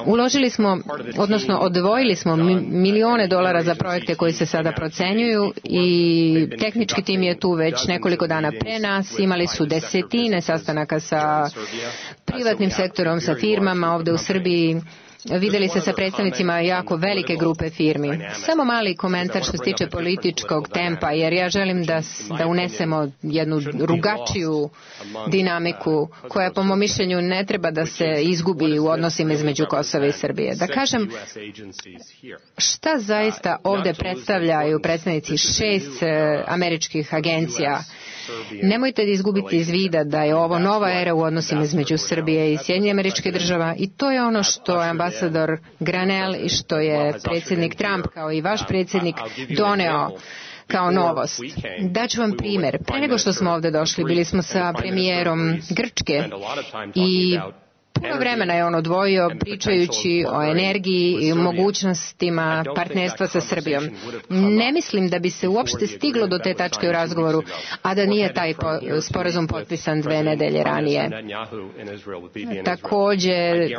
uložili smo, odnosno odvojili smo milione dolara za projekte koji se sada procenjuju i tehnički tim je tu već nekoliko dana pre nas. Imali su desetine sastanaka sa privatnim sektorom, sa firmama ovde u Srbiji. Videli se sa predstavnicima jako velike grupe firmi. Samo mali komentar što se tiče političkog tempa, jer ja želim da, da unesemo jednu drugačiju dinamiku koja po mom mišljenju ne treba da se izgubi u odnosima između Kosova i Srbije. Da kažem, šta zaista ovde predstavljaju predstavnici šest američkih agencija? Nemojte da izgubiti iz vida da je ovo nova era u odnosima između Srbije i Sjedinjenih Američkih Država i to je ono što je ambasador Granel i što je predsjednik Trump kao i vaš predsjednik doneo kao novost. Daću vam primjer. Pre nego što smo ovde došli, bili smo sa premijerom Grčke i puno vremena je on odvojio pričajući o energiji i mogućnostima partnerstva sa Srbijom. Ne mislim da bi se uopšte stiglo do te tačke u razgovoru, a da nije taj sporazum potpisan dve nedelje ranije. Također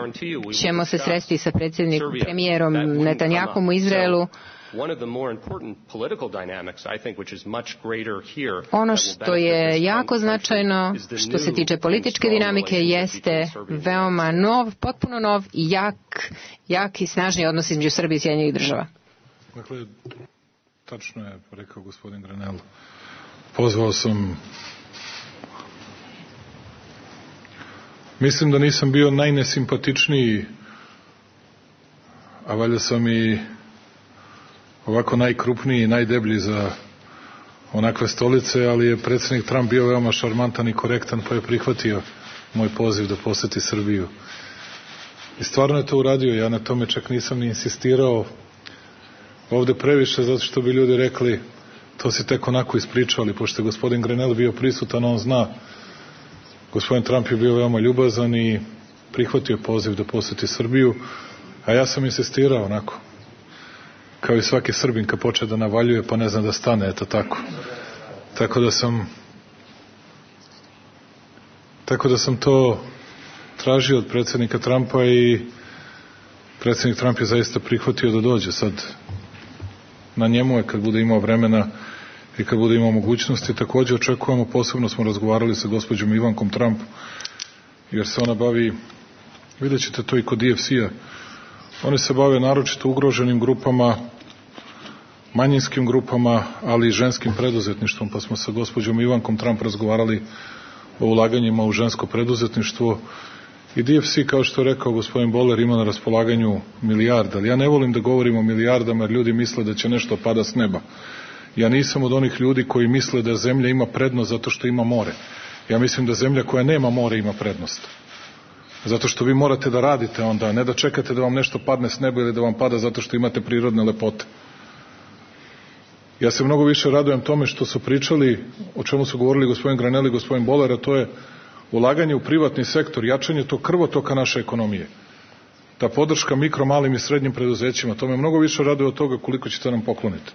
ćemo se sresti sa predsjednikom premijerom Netanjahom u Izraelu. Ono što je jako značajno što se tiče političke dinamike jeste veoma nov, potpuno nov i jak, jak i snažni odnos između Srbije i Sjedinjenih Država. Dakle, tačno je rekao gospodin Granel. Pozvao sam, mislim da nisam bio najnesimpatičniji, a valjda sam i ovako najkrupniji i najdeblji za onakve stolice, ali je predsjednik Trump bio veoma šarmantan i korektan, pa je prihvatio moj poziv da poseti Srbiju. I stvarno je to uradio, ja na tome čak nisam ni insistirao ovde previše, zato što bi ljudi rekli to si tek onako ispričao, ali pošto je gospodin Grenell bio prisutan, on zna, gospodin Trump je bio veoma ljubazan i prihvatio poziv da poseti Srbiju, a ja sam insistirao onako, kao i svaki Srbin kad počne da navaljuje pa ne zna da stane, eto tako. Tako da sam Tako da sam to tražio od predsjednika Trumpa i predsjednik Trump je zaista prihvatio da dođe. Sad na njemu je kad bude imao vremena i kad bude imao mogućnosti. Također očekujemo, posebno smo razgovarali sa gospođom Ivankom Trump, jer se ona bavi, vidjet ćete to i kod D F C-a, oni se bave naročito ugroženim grupama, manjinskim grupama, ali i ženskim preduzetništvom, pa smo sa gospođom Ivankom Trump razgovarali o ulaganjima u žensko preduzetništvo. I D F C, kao što je rekao gospodin Boller, ima na raspolaganju milijarda, ali ja ne volim da govorim o milijardama, jer ljudi misle da će nešto pada s neba. Ja nisam od onih ljudi koji misle da zemlja ima prednost zato što ima more. Ja mislim da zemlja koja nema more ima prednost. Zato što vi morate da radite onda, ne da čekate da vam nešto padne s neba ili da vam pada zato što imate prirodne lepote. Ja se mnogo više radujem tome što su pričali, o čemu su govorili gospodin Granelli i gospodin Boller, a to je ulaganje u privatni sektor, jačanje tog krvotoka naše ekonomije. Ta podrška mikro, malim i srednjim preduzećima, to me mnogo više raduje od toga koliko ćete nam pokloniti.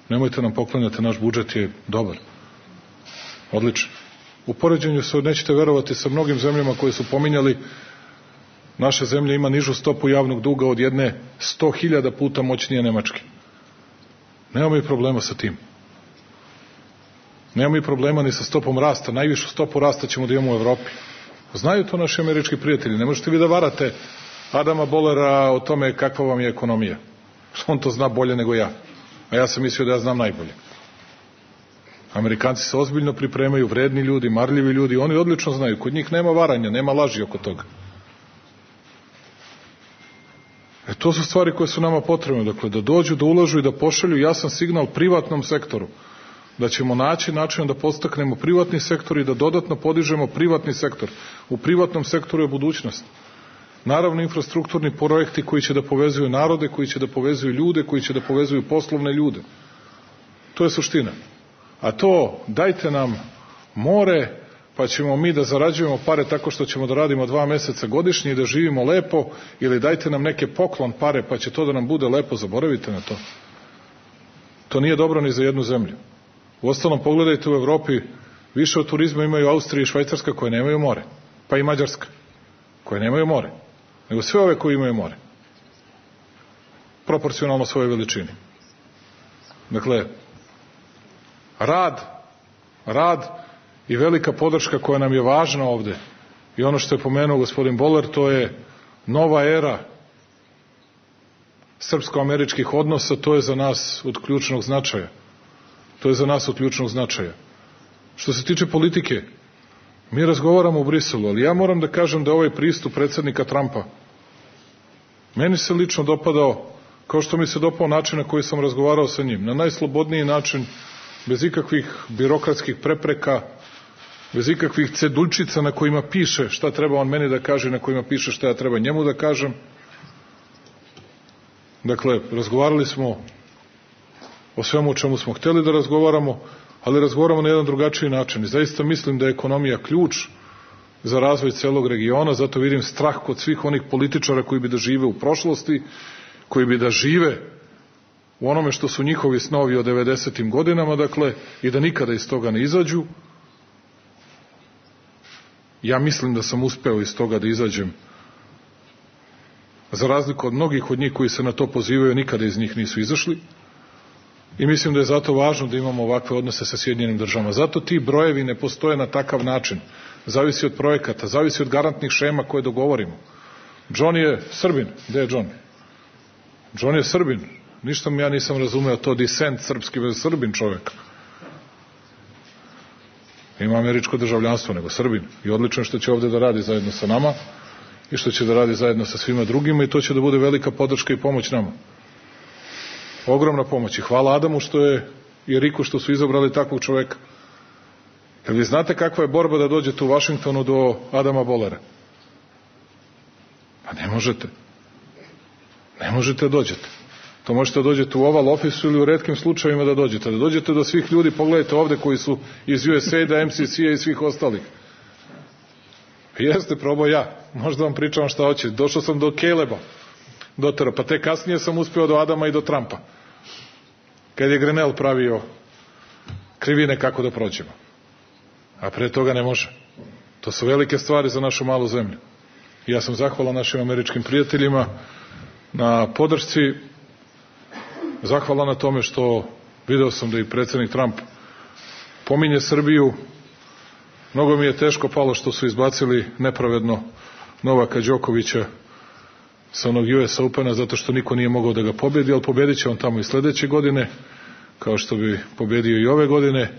Nemojte nam poklanjati, naš budžet je dobar. Odličan. U poređenju se, nećete verovati, sa mnogim zemljama koje su pominjali, naša zemlja ima nižu stopu javnog duga od jedne sto hiljada puta moćnije Nemačke. Nemamo i problema sa tim. Nemamo i problema ni sa stopom rasta. Najvišu stopu rasta ćemo da imamo u Evropi. Znaju to naši američki prijatelji. Ne možete vi da varate Adama Bollera o tome kakva vam je ekonomija. On to zna bolje nego ja. A ja sam mislio da ja znam najbolje. Amerikanci se ozbiljno pripremaju, vredni ljudi, marljivi ljudi, oni odlično znaju. Kod njih nema varanja, nema laži oko toga. E to su stvari koje su nama potrebne. Dakle, da dođu, da ulažu i da pošalju jasan signal privatnom sektoru. Da ćemo naći način da podstaknemo privatni sektor i da dodatno podižemo privatni sektor. U privatnom sektoru je budućnost. Naravno, infrastrukturni projekti koji će da povezuju narode, koji će da povezuju ljude, koji će da povezuju poslovne ljude. To je suština. A to, dajte nam more, pa ćemo mi da zarađujemo pare tako što ćemo da radimo dva meseca godišnje i da živimo lepo, ili dajte nam neke poklon pare, pa će to da nam bude lepo, zaboravite na to. To nije dobro ni za jednu zemlju. Uostalom, pogledajte u Evropi, više od turizma imaju Austrija i Švajcarska koje nemaju more, pa i Mađarska, koje nemaju more, nego sve ove koje imaju more. Proporcionalno svojoj veličini. Dakle, rad, rad i velika podrška koja nam je važna ovde. I ono što je pomenuo gospodin Boller, to je nova era srpsko-američkih odnosa, to je za nas od ključnog značaja. To je za nas od ključnog značaja. Što se tiče politike, mi razgovaramo u Briselu, ali ja moram da kažem da ovaj pristup predsjednika Trumpa meni se lično dopadao, kao što mi se dopao način na koji sam razgovarao sa njim, na najslobodniji način, bez ikakvih birokratskih prepreka, bez ikakvih cedulčica na kojima piše šta treba on meni da kaže, na kojima piše šta ja treba njemu da kažem. Dakle, razgovarali smo o svemu o čemu smo hteli da razgovaramo, ali razgovaramo na jedan drugačiji način. I zaista mislim da je ekonomija ključ za razvoj celog regiona, zato vidim strah kod svih onih političara koji bi da žive u prošlosti, koji bi da žive u onome što su njihovi snovi o devedesetim godinama, dakle, i da nikada iz toga ne izađu. Ja mislim da sam uspeo iz toga da izađem. Za razliku od mnogih od njih koji se na to pozivaju, nikada iz njih nisu izašli. I mislim da je zato važno da imamo ovakve odnose sa Sjedinjenim državama. Zato ti brojevi ne postoje na takav način. Zavisi od projekata, zavisi od garantnih šema koje dogovorimo. John je Srbin. Gde je John? John je Srbin. Ništa mi ja nisam razumeo to descent srpski, bez Srbin čovjek. Ima američko državljanstvo, nego Srbin. I odlično što će ovde da radi zajedno sa nama i što će da radi zajedno sa svima drugima i to će da bude velika podrška i pomoć nama. Ogromna pomoć. I hvala Adamu što je i Riku što su izabrali takvog čoveka. Jer vi znate kakva je borba da dođete u Vašingtonu do Adama Bollera? Pa ne možete. Ne možete da dođete. To možete da dođete u Oval Office ili u retkim slučajevima da dođete. Da dođete do svih ljudi, pogledajte ovde koji su iz U S A I D-a, M C C-a i svih ostalih. Jeste, probao ja. Možda vam pričam šta hoće. Došao sam do Caleba, dotero, pa te kasnije sam uspeo do Adama i do Trumpa. Kad je Grenell pravio krivine kako da prođemo. A pre toga ne može. To su velike stvari za našu malu zemlju. Ja sam zahvalan našim američkim prijateljima na podršci, zahvalan na tome što video sam da i predsjednik Trump pominje Srbiju. Mnogo mi je teško palo što su izbacili nepravedno Novaka Đokovića sa onog U S Opena, zato što niko nije mogao da ga pobedi, ali pobedit će on tamo i sledeće godine, kao što bi pobedio i ove godine.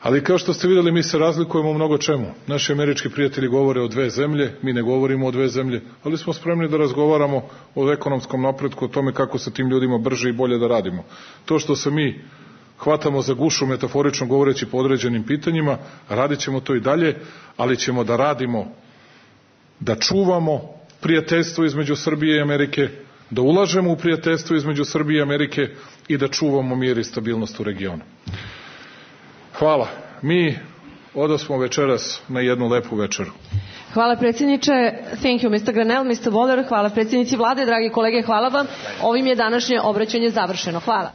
Ali kao što ste videli, mi se razlikujemo u mnogo čemu. Naši američki prijatelji govore o dve zemlje, mi ne govorimo o dve zemlje, ali smo spremni da razgovaramo o ekonomskom napretku, o tome kako se tim ljudima brže i bolje da radimo. To što se mi hvatamo za gušu, metaforično govoreći po određenim pitanjima, radit ćemo to i dalje, ali ćemo da radimo, da čuvamo prijateljstvo između Srbije i Amerike, da ulažemo u prijateljstvo između Srbije i Amerike i da čuvamo mir i stabilnost u regionu. Hvala. Mi odosmo večeras na jednu lepu večeru. Hvala predsjedniče. Thank you, mister Granel, mister Boller. Hvala predsjednici vlade, dragi kolege, hvala vam. Ovim je današnje obraćanje završeno. Hvala.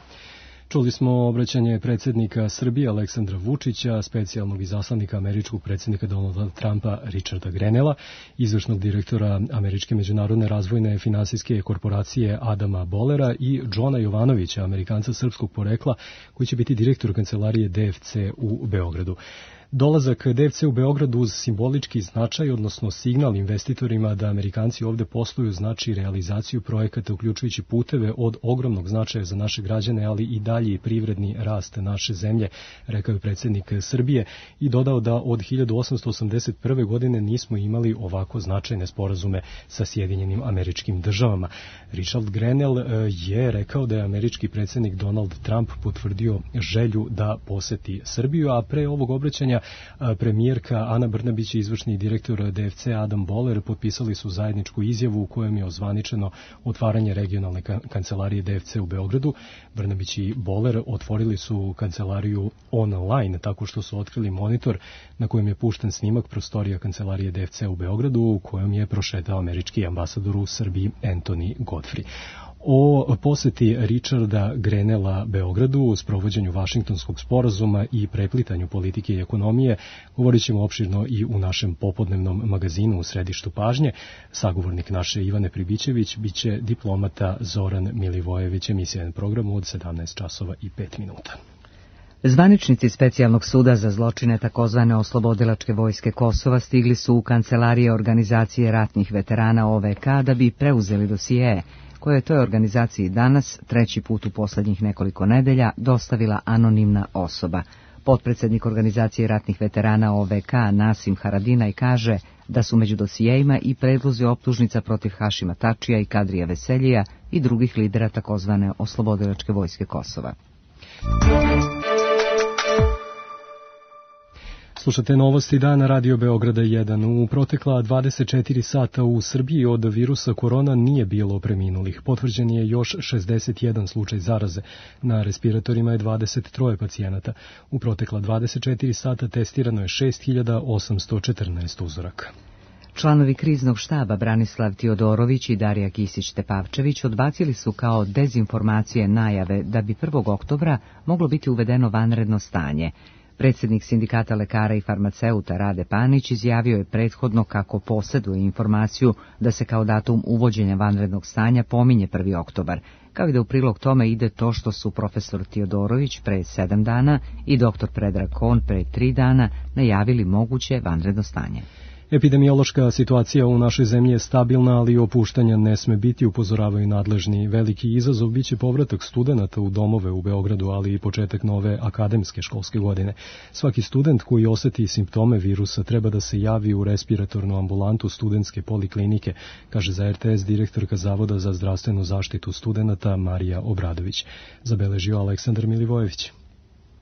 Čuli smo obraćanje predsjednika Srbije Aleksandra Vučića, specijalnog izaslanika američkog predsjednika Donalda Trumpa Richarda Grenela, izvršnog direktora Američke međunarodne razvojne finansijske korporacije Adama Bollera i Johna Jovanovića, Amerikanca srpskog porekla, koji će biti direktor kancelarije D F C u Beogradu. Dolazak D F C u Beogradu uz simbolički značaj, odnosno signal investitorima da Amerikanci ovde posluju, znači realizaciju projekata uključujući puteve od ogromnog značaja za naše građane, ali i dalji privredni rast naše zemlje, rekao je predsjednik Srbije i dodao da od hiljadu osamsto osamdeset prve. godine nismo imali ovako značajne sporazume sa Sjedinjenim Američkim Državama. Richard Grenell je rekao da je američki predsjednik Donald Trump potvrdio želju da poseti Srbiju, a pre ovog obraćanja premijerka Ana Brnabić i izvršni direktor D F C Adam Boller potpisali su zajedničku izjavu u kojem je ozvaničeno otvaranje regionalne kancelarije D F C u Beogradu. Brnabić i Boller otvorili su kancelariju online tako što su otkrili monitor na kojem je pušten snimak prostorija kancelarije D F C u Beogradu u kojem je prošetao američki ambasador u Srbiji Anthony Godfrey. O poseti Richarda Grenela Beogradu, u sprovođenju Vašingtonskog sporazuma i preplitanju politike i ekonomije govorit ćemo opširno i u našem popodnevnom magazinu u središtu pažnje. Sagovornik naše Ivane Pribićević biće diplomata Zoran Milivojević, emisija na programu od sedamnaest časova i pet minuta. Zvaničnici Specijalnog suda za zločine takozvane Oslobodilačke vojske Kosova stigli su u kancelarije Organizacije ratnih veterana O V K da bi preuzeli dosije koje je toj organizaciji danas, treći put u poslednjih nekoliko nedelja, dostavila anonimna osoba. Potpredsednik Organizacije ratnih veterana O V K Nasim Haradinaj kaže da su među dosijejima i predlozi optužnica protiv Hašima Tačija i Kadrija Veseljija i drugih lidera takozvane Oslobodilačke vojske Kosova. Slušate novosti dana Radio Beograda jedan. U protekla dvadeset četiri sata u Srbiji od virusa korona nije bilo preminulih. Potvrđen je još šezdeset jedan slučaj zaraze. Na respiratorima je dvadeset tri pacijenata. U protekla dvadeset četiri sata testirano je šest hiljada osamsto četrnaest uzoraka. Članovi kriznog štaba Branislav Tiodorović i Darija Kisić-Tepavčević odbacili su kao dezinformacije najave da bi prvog oktobra moglo biti uvedeno vanredno stanje. Predsjednik Sindikata lekara i farmaceuta Rade Panić izjavio je prethodno kako posjeduje informaciju da se kao datum uvođenja vanrednog stanja pominje prvi oktobar, kao i da u prilog tome ide to što su profesor Tiodorović pre sedam dana i doktor Predrag Kon pre tri dana najavili moguće vanredno stanje. Epidemiološka situacija u našoj zemlji je stabilna, ali opuštanja ne sme biti, upozoravaju nadležni. Veliki izazov biće povratak studenata u domove u Beogradu, ali i početak nove akademske školske godine. Svaki student koji oseti simptome virusa treba da se javi u respiratornu ambulantu studentske poliklinike, kaže za R T S direktorka Zavoda za zdravstvenu zaštitu studenata Marija Obradović. Zabeležio Aleksandar Milivojević.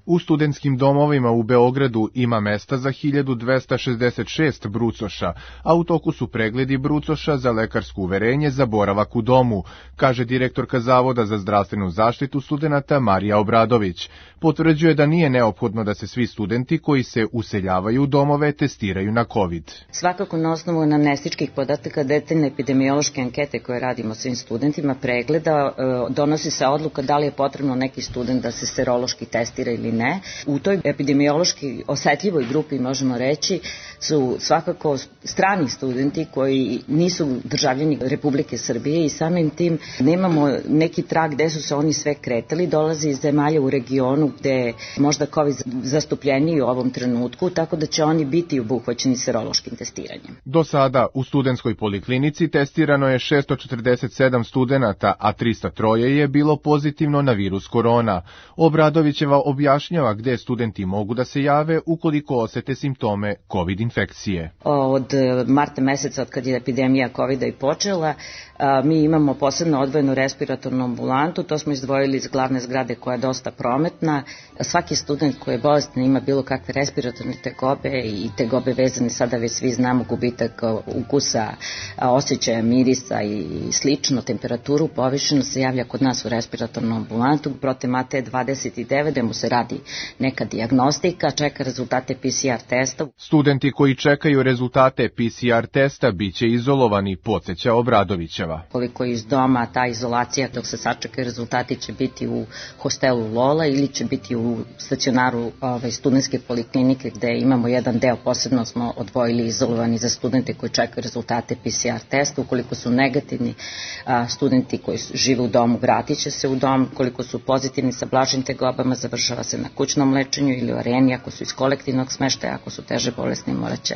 U studentskim domovima u Beogradu ima mesta za hiljadu dvesta šezdeset šest brucoša, a u toku su pregledi brucoša za lekarsko uverenje za boravak u domu, kaže direktorka Zavoda za zdravstvenu zaštitu studenata Marija Obradović. Potvrđuje da nije neophodno da se svi studenti koji se useljavaju u domove testiraju na COVID. Svakako na osnovu anamnestičkih podataka detaljne epidemiološke ankete koje radimo svim studentima pregleda, donosi se odluka da li je potrebno neki student da se serološki testira ili ili ne. U toj epidemiološki osetljivoj grupi, možemo reći, su svakako strani studenti koji nisu državljani Republike Srbije i samim tim nemamo neki trag gde su se oni sve kretali, dolazi iz zemalja u regionu gde je možda COVID zastupljeniji u ovom trenutku, tako da će oni biti obuhvaćeni serološkim testiranjem. Do sada u studentskoj poliklinici testirano je šesto četrdeset sedam studenata, a trista tri je bilo pozitivno na virus korona. Obradovićeva objašnjava gde studenti mogu da se jave ukoliko osete simptome COVID infekcije. Od marta meseca, od kad je epidemija COVID-a i počela, mi imamo posebno odvojenu respiratornu ambulantu, to smo izdvojili iz glavne zgrade koja je dosta prometna. Svaki student koji je bolestan ima bilo kakve respiratorne tegobe i tegobe vezane, sada već svi znamo, gubitak ukusa, osjećaja, mirisa i slično, temperaturu povišenu se javlja kod nas u respiratornu ambulantu, protiv A T dvadeset devet, gde mu se radi neka dijagnostika, čeka rezultate P C R testa. Studenti koji čekaju rezultate P C R testa biće izolovani, podsjeća Obradovićeva. Koliko iz doma ta izolacija dok se sačekaju rezultati će biti u hostelu Lola ili će biti u stacionaru ovaj, studentske poliklinike gde imamo jedan deo, posebno smo odvojili izolovani za studente koji čekaju rezultate P C R testa. Ukoliko su negativni, a, studenti koji žive u domu vratit će se u dom, koliko su pozitivni sa blažim tegobama završava se na kućnom lečenju ili u areni, ako su iz kolektivnog smeštaja, ako su teže bolesni morat će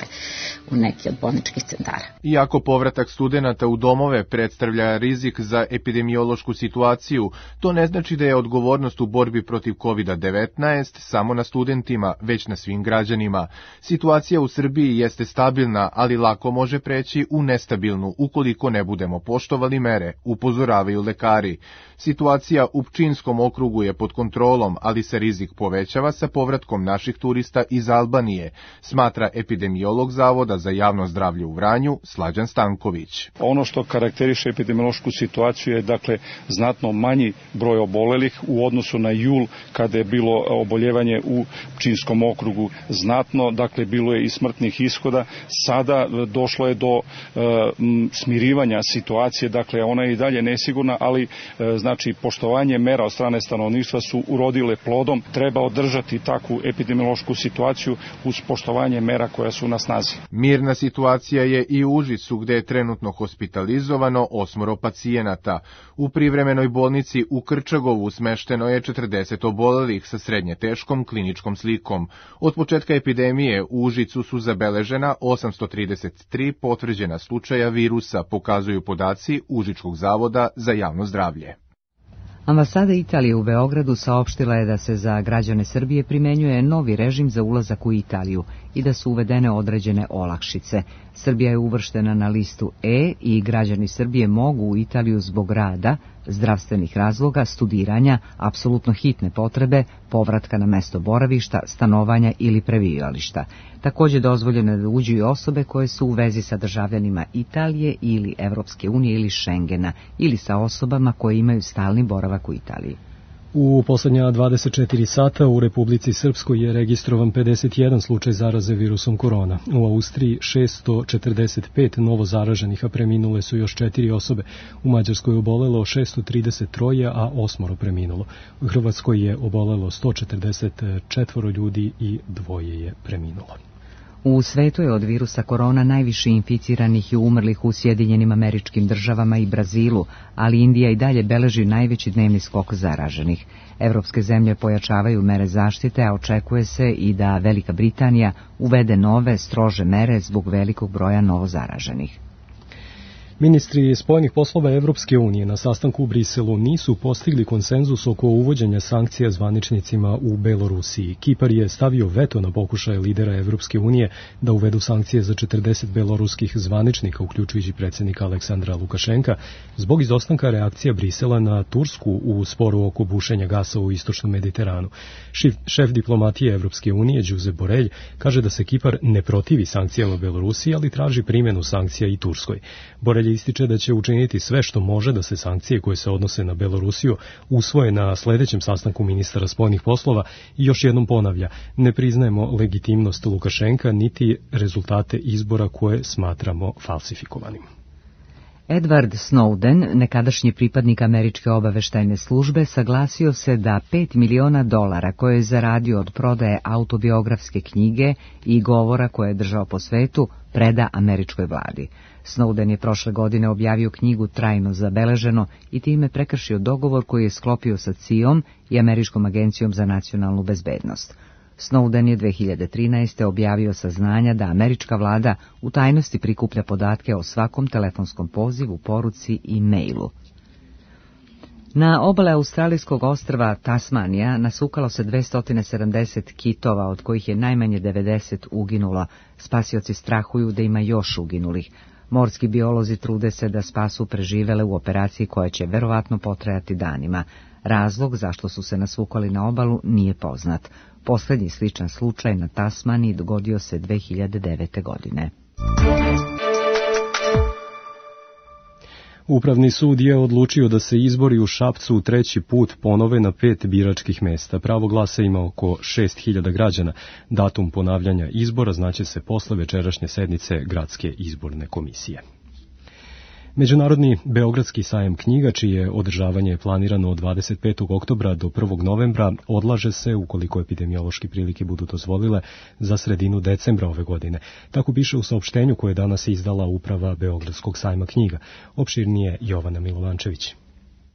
u neki od bolničkih centara. Iako povratak studenata u domove predstavlja rizik za epidemiološku situaciju, to ne znači da je odgovornost u borbi protiv COVID devetnaest samo na studentima, već na svim građanima. Situacija u Srbiji jeste stabilna, ali lako može preći u nestabilnu ukoliko ne budemo poštovali mere, upozoravaju lekari. Situacija u Pčinjskom okrugu je pod kontrolom, ali se rizik povećava sa povratkom naših turista iz Albanije, smatra epidemiolog Zavoda za javno zdravlje u Vranju, Slađan Stanković. Ono što karakteriše epidemiološku situaciju je dakle znatno manji broj obolelih u odnosu na jul kada je bilo oboljevanje u Pčinjskom okrugu znatno, dakle bilo je i smrtnih ishoda. Sada došlo je do e, smirivanja situacije, dakle ona je i dalje nesigurna, ali e, znači poštovanje mera od strane stanovništva su urodile plodom. Treba održati takvu epidemiološku situaciju uz poštovanje mera koja su na snazi. Mirna situacija je i u Užicu gde je trenutno hospitalizovano osmoro pacijenata. U privremenoj bolnici u Krčagovu smešteno je četrdeset obolelih sa srednje teškom kliničkom slikom. Od početka epidemije u Užicu su zabeležena osamsto trideset tri potvrđena slučaja virusa, pokazuju podaci Užičkog zavoda za javno zdravlje. Ambasada Italije u Beogradu saopštila je da se za građane Srbije primenjuje novi režim za ulazak u Italiju i da su uvedene određene olakšice. Srbija je uvrštena na listu E i građani Srbije mogu u Italiju zbog rada, zdravstvenih razloga, studiranja, apsolutno hitne potrebe, povratka na mesto boravišta, stanovanja ili prebivališta. Također dozvoljeno je da uđu i osobe koje su u vezi sa državljanima Italije ili Evropske unije ili Šengena ili sa osobama koje imaju stalni boravak u Italiji. U poslednja dvadeset četiri sata u Republici Srpskoj je registrovan pedeset jedan slučaj zaraze virusom korona. U Austriji šesto četrdeset pet novo zaraženih, a preminule su još četiri osobe. U Mađarskoj je obolelo šesto trideset tri, a osmoro preminulo. U Hrvatskoj je obolelo sto četrdeset četiri ljudi i dvoje je preminulo. U svetu je od virusa korona najviše inficiranih i umrlih u Sjedinjenim Američkim Državama i Brazilu, ali Indija i dalje beleži najveći dnevni skok zaraženih. Evropske zemlje pojačavaju mere zaštite, a očekuje se i da Velika Britanija uvede nove, strože mere zbog velikog broja novozaraženih. Ministri spoljnih poslova Evropske unije na sastanku u Briselu nisu postigli konsenzus oko uvođenja sankcija zvaničnicima u Belorusiji. Kipar je stavio veto na pokušaje lidera Evropske unije da uvedu sankcije za četrdeset beloruskih zvaničnika, uključujući predsjednika Aleksandra Lukašenka, zbog izostanka reakcija Brisela na Tursku u sporu oko bušenja gasa u istočnom Mediteranu. Šef, šef diplomatije Evropske unije, Josep Borrell, kaže da se Kipar ne protivi sankcijama Belorusiji, ali traži primjenu sankcija i Turskoj. Borrell ističe da će učiniti sve što može da se sankcije koje se odnose na Belorusiju usvoje na sledećem sastanku ministara spoljnih poslova i još jednom ponavlja, ne priznajemo legitimnost Lukašenka niti rezultate izbora koje smatramo falsifikovanim. Edward Snowden, nekadašnji pripadnik američke obaveštajne službe, saglasio se da pet miliona dolara koje je zaradio od prodaje autobiografske knjige i govora koje je držao po svetu preda američkoj vladi. Snowden je prošle godine objavio knjigu Trajno zabeleženo i time prekršio dogovor koji je sklopio sa C I A-om i Američkom agencijom za nacionalnu bezbednost. Snowden je dve hiljade trinaeste. objavio saznanja da američka vlada u tajnosti prikuplja podatke o svakom telefonskom pozivu, poruci i mailu. Na obale australijskog ostrva Tasmanija nasukalo se dvesta sedamdeset kitova, od kojih je najmanje devedeset uginulo. Spasioci strahuju da ima još uginulih. Morski biolozi trude se da spasu preživele u operaciji koja će verovatno potrajati danima. Razlog zašto su se nasvukali na obalu nije poznat. Poslednji sličan slučaj na Tasmaniji dogodio se dve hiljade devete. godine. Upravni sud je odlučio da se izbori u Šapcu treći put ponove na pet biračkih mesta. Pravo glasa ima oko šest hiljada građana. Datum ponavljanja izbora znaće se posle večerašnje sednice Gradske izborne komisije. Međunarodni Beogradski sajam knjiga, čije održavanje je planirano od dvadeset petog oktobra do prvog novembra, odlaže se, ukoliko epidemiološke prilike budu dozvolile, za sredinu decembra ove godine. Tako piše u saopštenju koje je danas izdala uprava Beogradskog sajma knjiga. Opširnije Jovana Milovančević.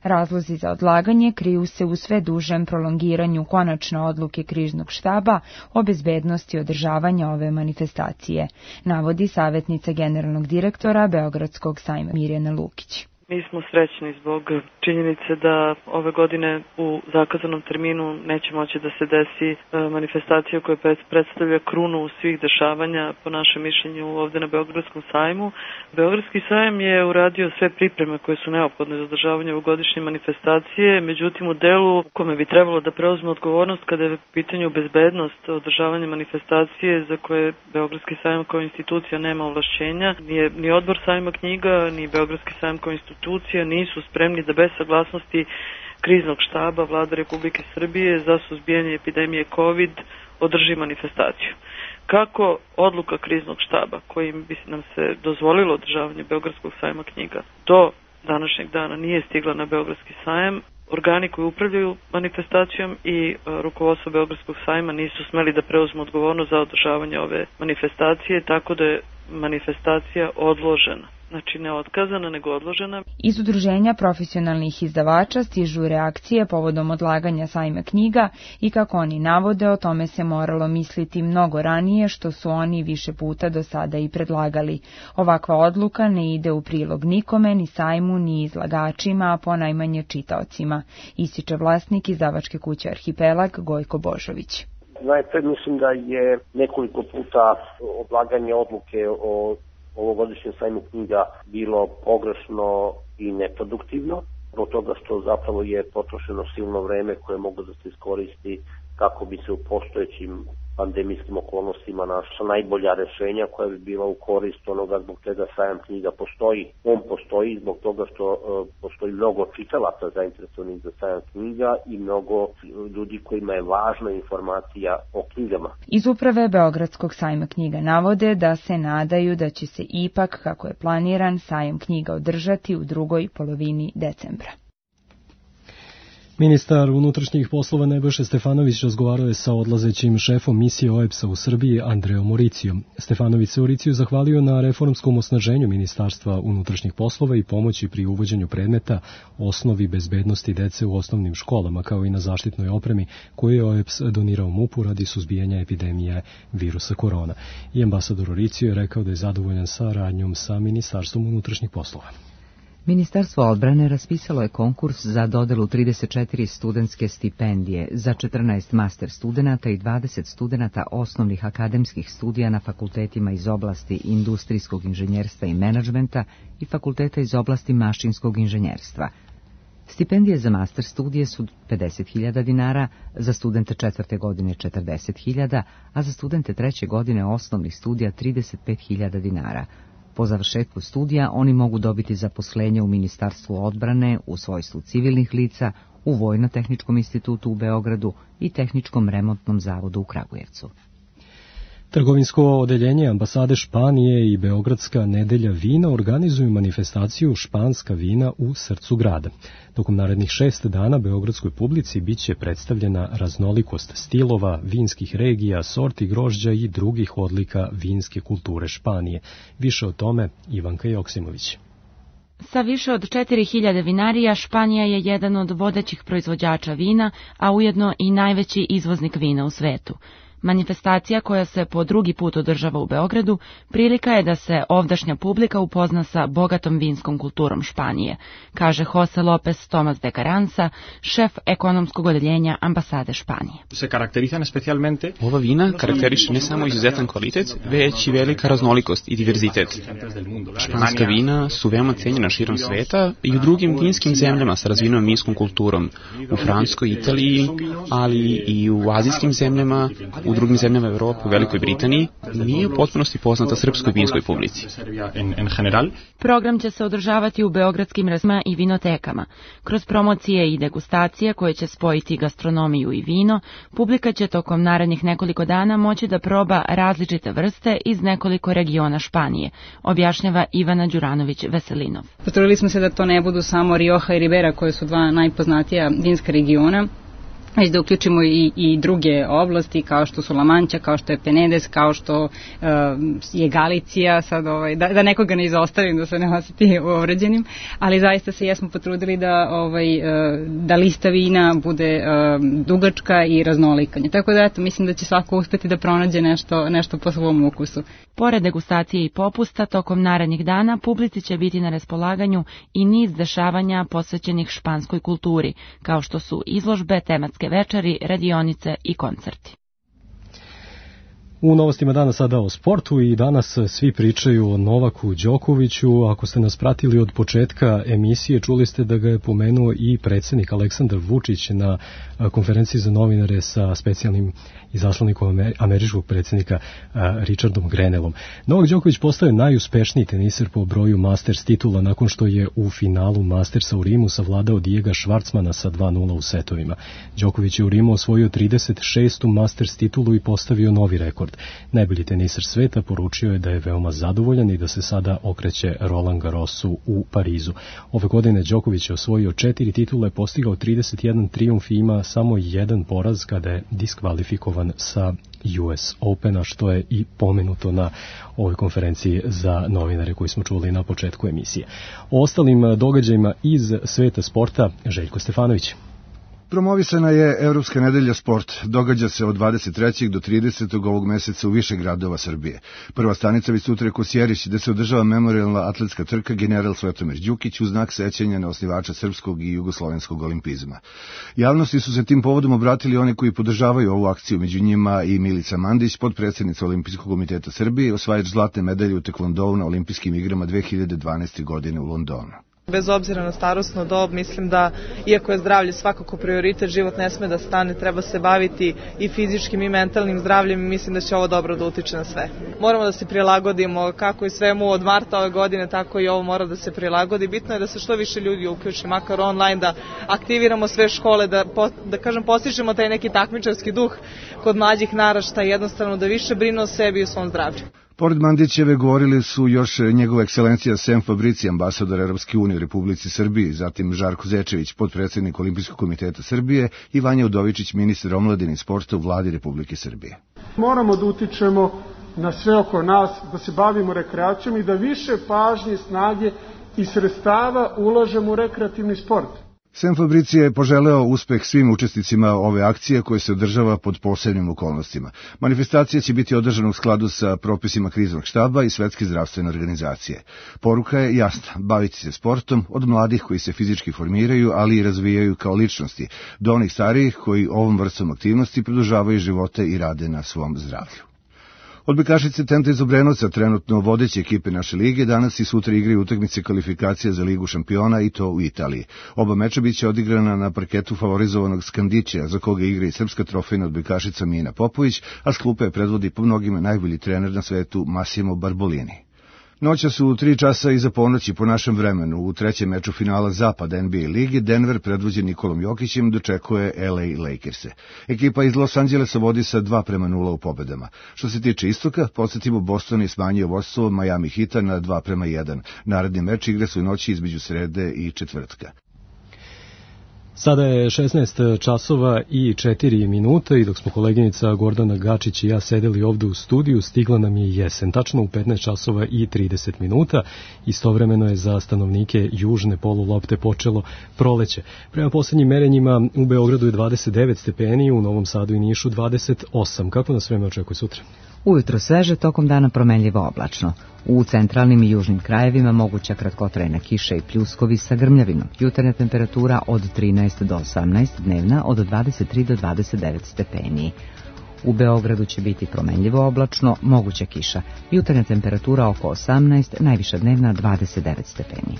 Razlozi za odlaganje kriju se u sve dužem prolongiranju konačne odluke kriznog štaba o bezbednosti održavanja ove manifestacije, navodi savjetnica generalnog direktora Beogradskog sajma Mirjana Lukić. Mi smo srećni zbog činjenice da ove godine u zakazanom terminu neće moći da se desi manifestacija koja predstavlja krunu svih dešavanja, po našem mišljenju, ovde na Beogradskom sajmu. Beogradski sajam je uradio sve pripreme koje su neophodne za održavanje ovogodišnje manifestacije, međutim u delu u kome bi trebalo da preuzme odgovornost kada je u pitanju bezbednost održavanja manifestacije za koje Beogradski sajam kao institucija nema ovlašćenja, nije ni odbor sajma knjiga, ni Beogradski sajam kao institucija nisu spremni da bez saglasnosti kriznog štaba Vlade Republike Srbije za suzbijanje epidemije COVID održi manifestaciju. Kako odluka kriznog štaba, kojim bi nam se dozvolilo održavanje Beogradskog sajma knjiga, do današnjeg dana nije stigla na Beogradski sajam, organi koji upravljaju manifestacijom i rukovodstvo Beogradskog sajma nisu smeli da preuzmu odgovornost za održavanje ove manifestacije, tako da je manifestacija odložena. Znači ne otkazana, nego odložena. Iz udruženja profesionalnih izdavača stižu reakcije povodom odlaganja sajma knjiga i kako oni navode, o tome se moralo misliti mnogo ranije, što su oni više puta do sada i predlagali. Ovakva odluka ne ide u prilog nikome, ni sajmu, ni izlagačima, a ponajmanje čitaocima, ističe vlasnik izdavačke kuće Arhipelag Gojko Božović. Najpred mislim da je nekoliko puta odlaganje odluke o ovogodišnjem sajmu knjiga bilo pogrešno i neproduktivno, zbog toga što zapravo je potrošeno silno vreme koje mogu da se iskoristi kako bi se u postojećim pandemijskim okolnostima našla najbolja rešenja koja bi bila u korist onoga zbog čega sajam knjiga postoji. On postoji zbog toga što uh, postoji mnogo čitalaca zainteresovanih za sajam knjiga i mnogo ljudi kojima je važna informacija o knjigama. Iz uprave Beogradskog sajma knjiga navode da se nadaju da će se ipak, kako je planiran, sajam knjiga održati u drugoj polovini decembra. Ministar unutrašnjih poslova Nebojša Stefanović razgovarao je sa odlazećim šefom misije O E B S-a u Srbiji Andreom Mauricijom. Stefanović se Mauriciju zahvalio na reformskom osnaženju Ministarstva unutrašnjih poslova i pomoći pri uvođenju predmeta osnovi bezbednosti dece u osnovnim školama, kao i na zaštitnoj opremi koju je O E B S donirao MUP-u radi suzbijanja epidemije virusa korona. I ambasador Mauricio je rekao da je zadovoljan saradnjom sa Ministarstvom unutrašnjih poslova. Ministarstvo odbrane raspisalo je konkurs za dodelu trideset četiri studentske stipendije za četrnaest master studenata i dvadeset studenata osnovnih akademskih studija na fakultetima iz oblasti industrijskog inženjerstva i menadžmenta i fakulteta iz oblasti mašinskog inženjerstva. Stipendije za master studije su pedeset hiljada dinara, za studente četvrte godine četrdeset hiljada, a za studente treće godine osnovnih studija trideset pet hiljada dinara. Po završetku studija oni mogu dobiti zaposlenje u Ministarstvu odbrane u svojstvu civilnih lica, u Vojno-tehničkom institutu u Beogradu i Tehničkom remontnom zavodu u Kragujevcu. Trgovinsko odeljenje ambasade Španije i Beogradska nedelja vina organizuju manifestaciju Španska vina u srcu grada. Tokom narednih šest dana beogradskoj publici biće predstavljena raznolikost stilova, vinskih regija, sorti grožđa i drugih odlika vinske kulture Španije. Više o tome Ivanka Joksimović. Sa više od četiri hiljade vinarija, Španija je jedan od vodećih proizvođača vina, a ujedno i najveći izvoznik vina u svetu. Manifestacija koja se po drugi put održava u Beogradu prilika je da se ovdašnja publika upozna sa bogatom vinskom kulturom Španije, kaže Jose Lopez Tomas de Caranza, šef ekonomskog odeljenja ambasade Španije. Se karakterizan specijalmente. Ova vina karakteriše ne samo izuzetan kvalitet, već i velika raznolikost i diverzitet. Španska vina su veoma cenjena širom sveta i u drugim vinskim zemljama sa razvijenom vinskom kulturom, u Francuskoj, Italiji, ali i u azijskim zemljama, u drugim zemljama Evrope, u Velikoj Britaniji, nije u potpunosti poznata srpskoj vinskoj publici. Program će se održavati u beogradskim razma i vinotekama. Kroz promocije i degustacije koje će spojiti gastronomiju i vino, publika će tokom narednih nekoliko dana moći da proba različite vrste iz nekoliko regiona Španije, objašnjava Ivana Đuranović-Veselinov. Potrudili smo se da to ne budu samo Rioja i Ribera, koje su dva najpoznatija vinska regiona, već da uključimo i, i druge oblasti kao što su La Mancha, kao što je Penedes, kao što uh, je Galicija, sad ovaj, da, da nekoga ne izostavim, da se ne osjeti uvređenim, ali zaista se jesmo potrudili da, ovaj, uh, da lista vina bude uh, dugačka i raznolikanja. Tako da eto, mislim da će svako uspeti da pronađe nešto, nešto po svom ukusu. Pored degustacije i popusta, tokom narednih dana publici će biti na raspolaganju i niz dešavanja posvećenih španskoj kulturi, kao što su izložbe, tematske večeri, radionice i koncerti. U novostima dana sada o sportu i danas svi pričaju o Novaku Đokoviću. Ako ste nas pratili od početka emisije, čuli ste da ga je pomenuo i predsjednik Aleksandar Vučić na konferenciji za novinare sa specijalnim izaslanikom američkog predsjednika Richardom Grenellom. Novak Đoković postao najuspešniji teniser po broju Masters titula nakon što je u finalu Mastersa u Rimu savladao Diega Švarcmana sa dva nula u setovima. Đoković je u Rimu osvojio trideset šestu Masters titulu i postavio novi rekord. Najbolji teniser sveta poručio je da je veoma zadovoljan i da se sada okreće Roland Garrosu u Parizu. Ove godine Đoković je osvojio četiri titule, postigao trideset jedan trijumf i ima samo jedan poraz kada je diskvalifikovan sa U S Opena, što je i pomenuto na ovoj konferenciji za novinare koju smo čuli na početku emisije. O ostalim događajima iz sveta sporta, Željko Stefanović. Promovisana je Evropska nedelja sport. Događa se od dvadeset trećeg do tridesetog ovog meseca u više gradova Srbije. Prva stanica već sutra je Kosjerić, gde se održava memorijalna atletska trka General Svetomir Đukić u znak sećanja na osnivača srpskog i jugoslovenskog olimpizma. Javnosti su se tim povodom obratili oni koji podržavaju ovu akciju, među njima i Milica Mandić, potpredsjednica Olimpijskog komiteta Srbije, osvajač zlatne medalje u tekvondou na olimpijskim igrama dve hiljade dvanaeste. godine u Londonu. Bez obzira na starosnu dob, mislim da, iako je zdravlje svakako prioritet, život ne sme da stane, treba se baviti i fizičkim i mentalnim zdravljem i mislim da će ovo dobro da utiče na sve. Moramo da se prilagodimo kako i svemu od marta ove godine, tako i ovo mora da se prilagodi. Bitno je da se što više ljudi uključi, makar online, da aktiviramo sve škole, da, da kažem, postižemo taj neki takmičarski duh kod mlađih naraštaja, jednostavno da više brinu o sebi i o svom zdravlju. Pored Mandićeve govorili su još njegova ekscelencija Sem Fabrici, ambasador Evropske unije u Republici Srbiji, zatim Žarko Zečević, potpredsjednik Olimpijskog komiteta Srbije i Vanja Udovičić, ministar omladine i sporta u vladi Republike Srbije. Moramo da utičemo na sve oko nas, da se bavimo rekreacijom i da više pažnje, snage i sredstava ulažemo u rekreativni sport. Sem Fabricija je poželeo uspeh svim učesnicima ove akcije koje se održava pod posebnim okolnostima. Manifestacija će biti održana u skladu sa propisima kriznog štaba i Svetske zdravstvene organizacije. Poruka je jasna, baviti se sportom od mladih koji se fizički formiraju, ali i razvijaju kao ličnosti, do onih starijih koji ovom vrstom aktivnosti produžavaju živote i rade na svom zdravlju. Odbojkašice Tenta iz Obrenovca, trenutno vodeće ekipe naše lige, danas i sutra igraju utakmice kvalifikacija za Ligu šampiona i to u Italiji. Oba meča biće odigrana na parketu favorizovanog Skandića, za koga igra i srpska trofejna odbojkašica Mina Popović, a s klupe predvodi po mnogima najbolji trener na svetu Massimo Barbolini. Noća su u tri časa iza ponoći po našem vremenu. U trećem meču finala Zapada N B A ligi Denver, predvođen Nikolom Jokićem, dočekuje L A Lakers-e. Ekipa iz Los Angelesa vodi sa dva prema nula u pobedama. Što se tiče istoka, podsjetimo, Boston je smanjio vodstvo Miami Heata na dva prema jedan. Naredni meč igre su noći između srede i četvrtka. Sada je šesnaest časova i četiri minuta i dok smo koleginica Gordana Gačić i ja sedeli ovde u studiju, stigla nam je jesen, tačno u petnaest časova i trideset minuta. Istovremeno je za stanovnike južne polulopte počelo proleće. Prema poslednjim merenjima u Beogradu je dvadeset devet stepeni, u Novom Sadu i Nišu dvadeset osam. Kako nas vreme očekuje sutra? Ujutro sveže, tokom dana promenljivo oblačno. U centralnim i južnim krajevima moguća kratkotrajna kiša i pljuskovi sa grmljavinom. Jutarnja temperatura od trinaest do osamnaest, dnevna od dvadeset tri do dvadeset devet stepeni. U Beogradu će biti promenljivo oblačno, moguća kiša. Jutarnja temperatura oko osamnaest, najviša dnevna dvadeset devet stepeni.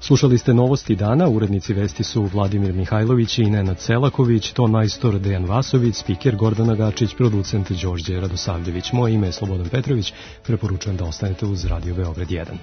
Slušali ste novosti dana, urednici vesti su Vladimir Mihajlović i Nenad Selaković, ton majstor Dejan Vasović, spiker Gordana Gačić, producent Đorđe Radosavljević. Moje ime je Slobodan Petrović, preporučujem da ostanete uz Radio Beograd jedan.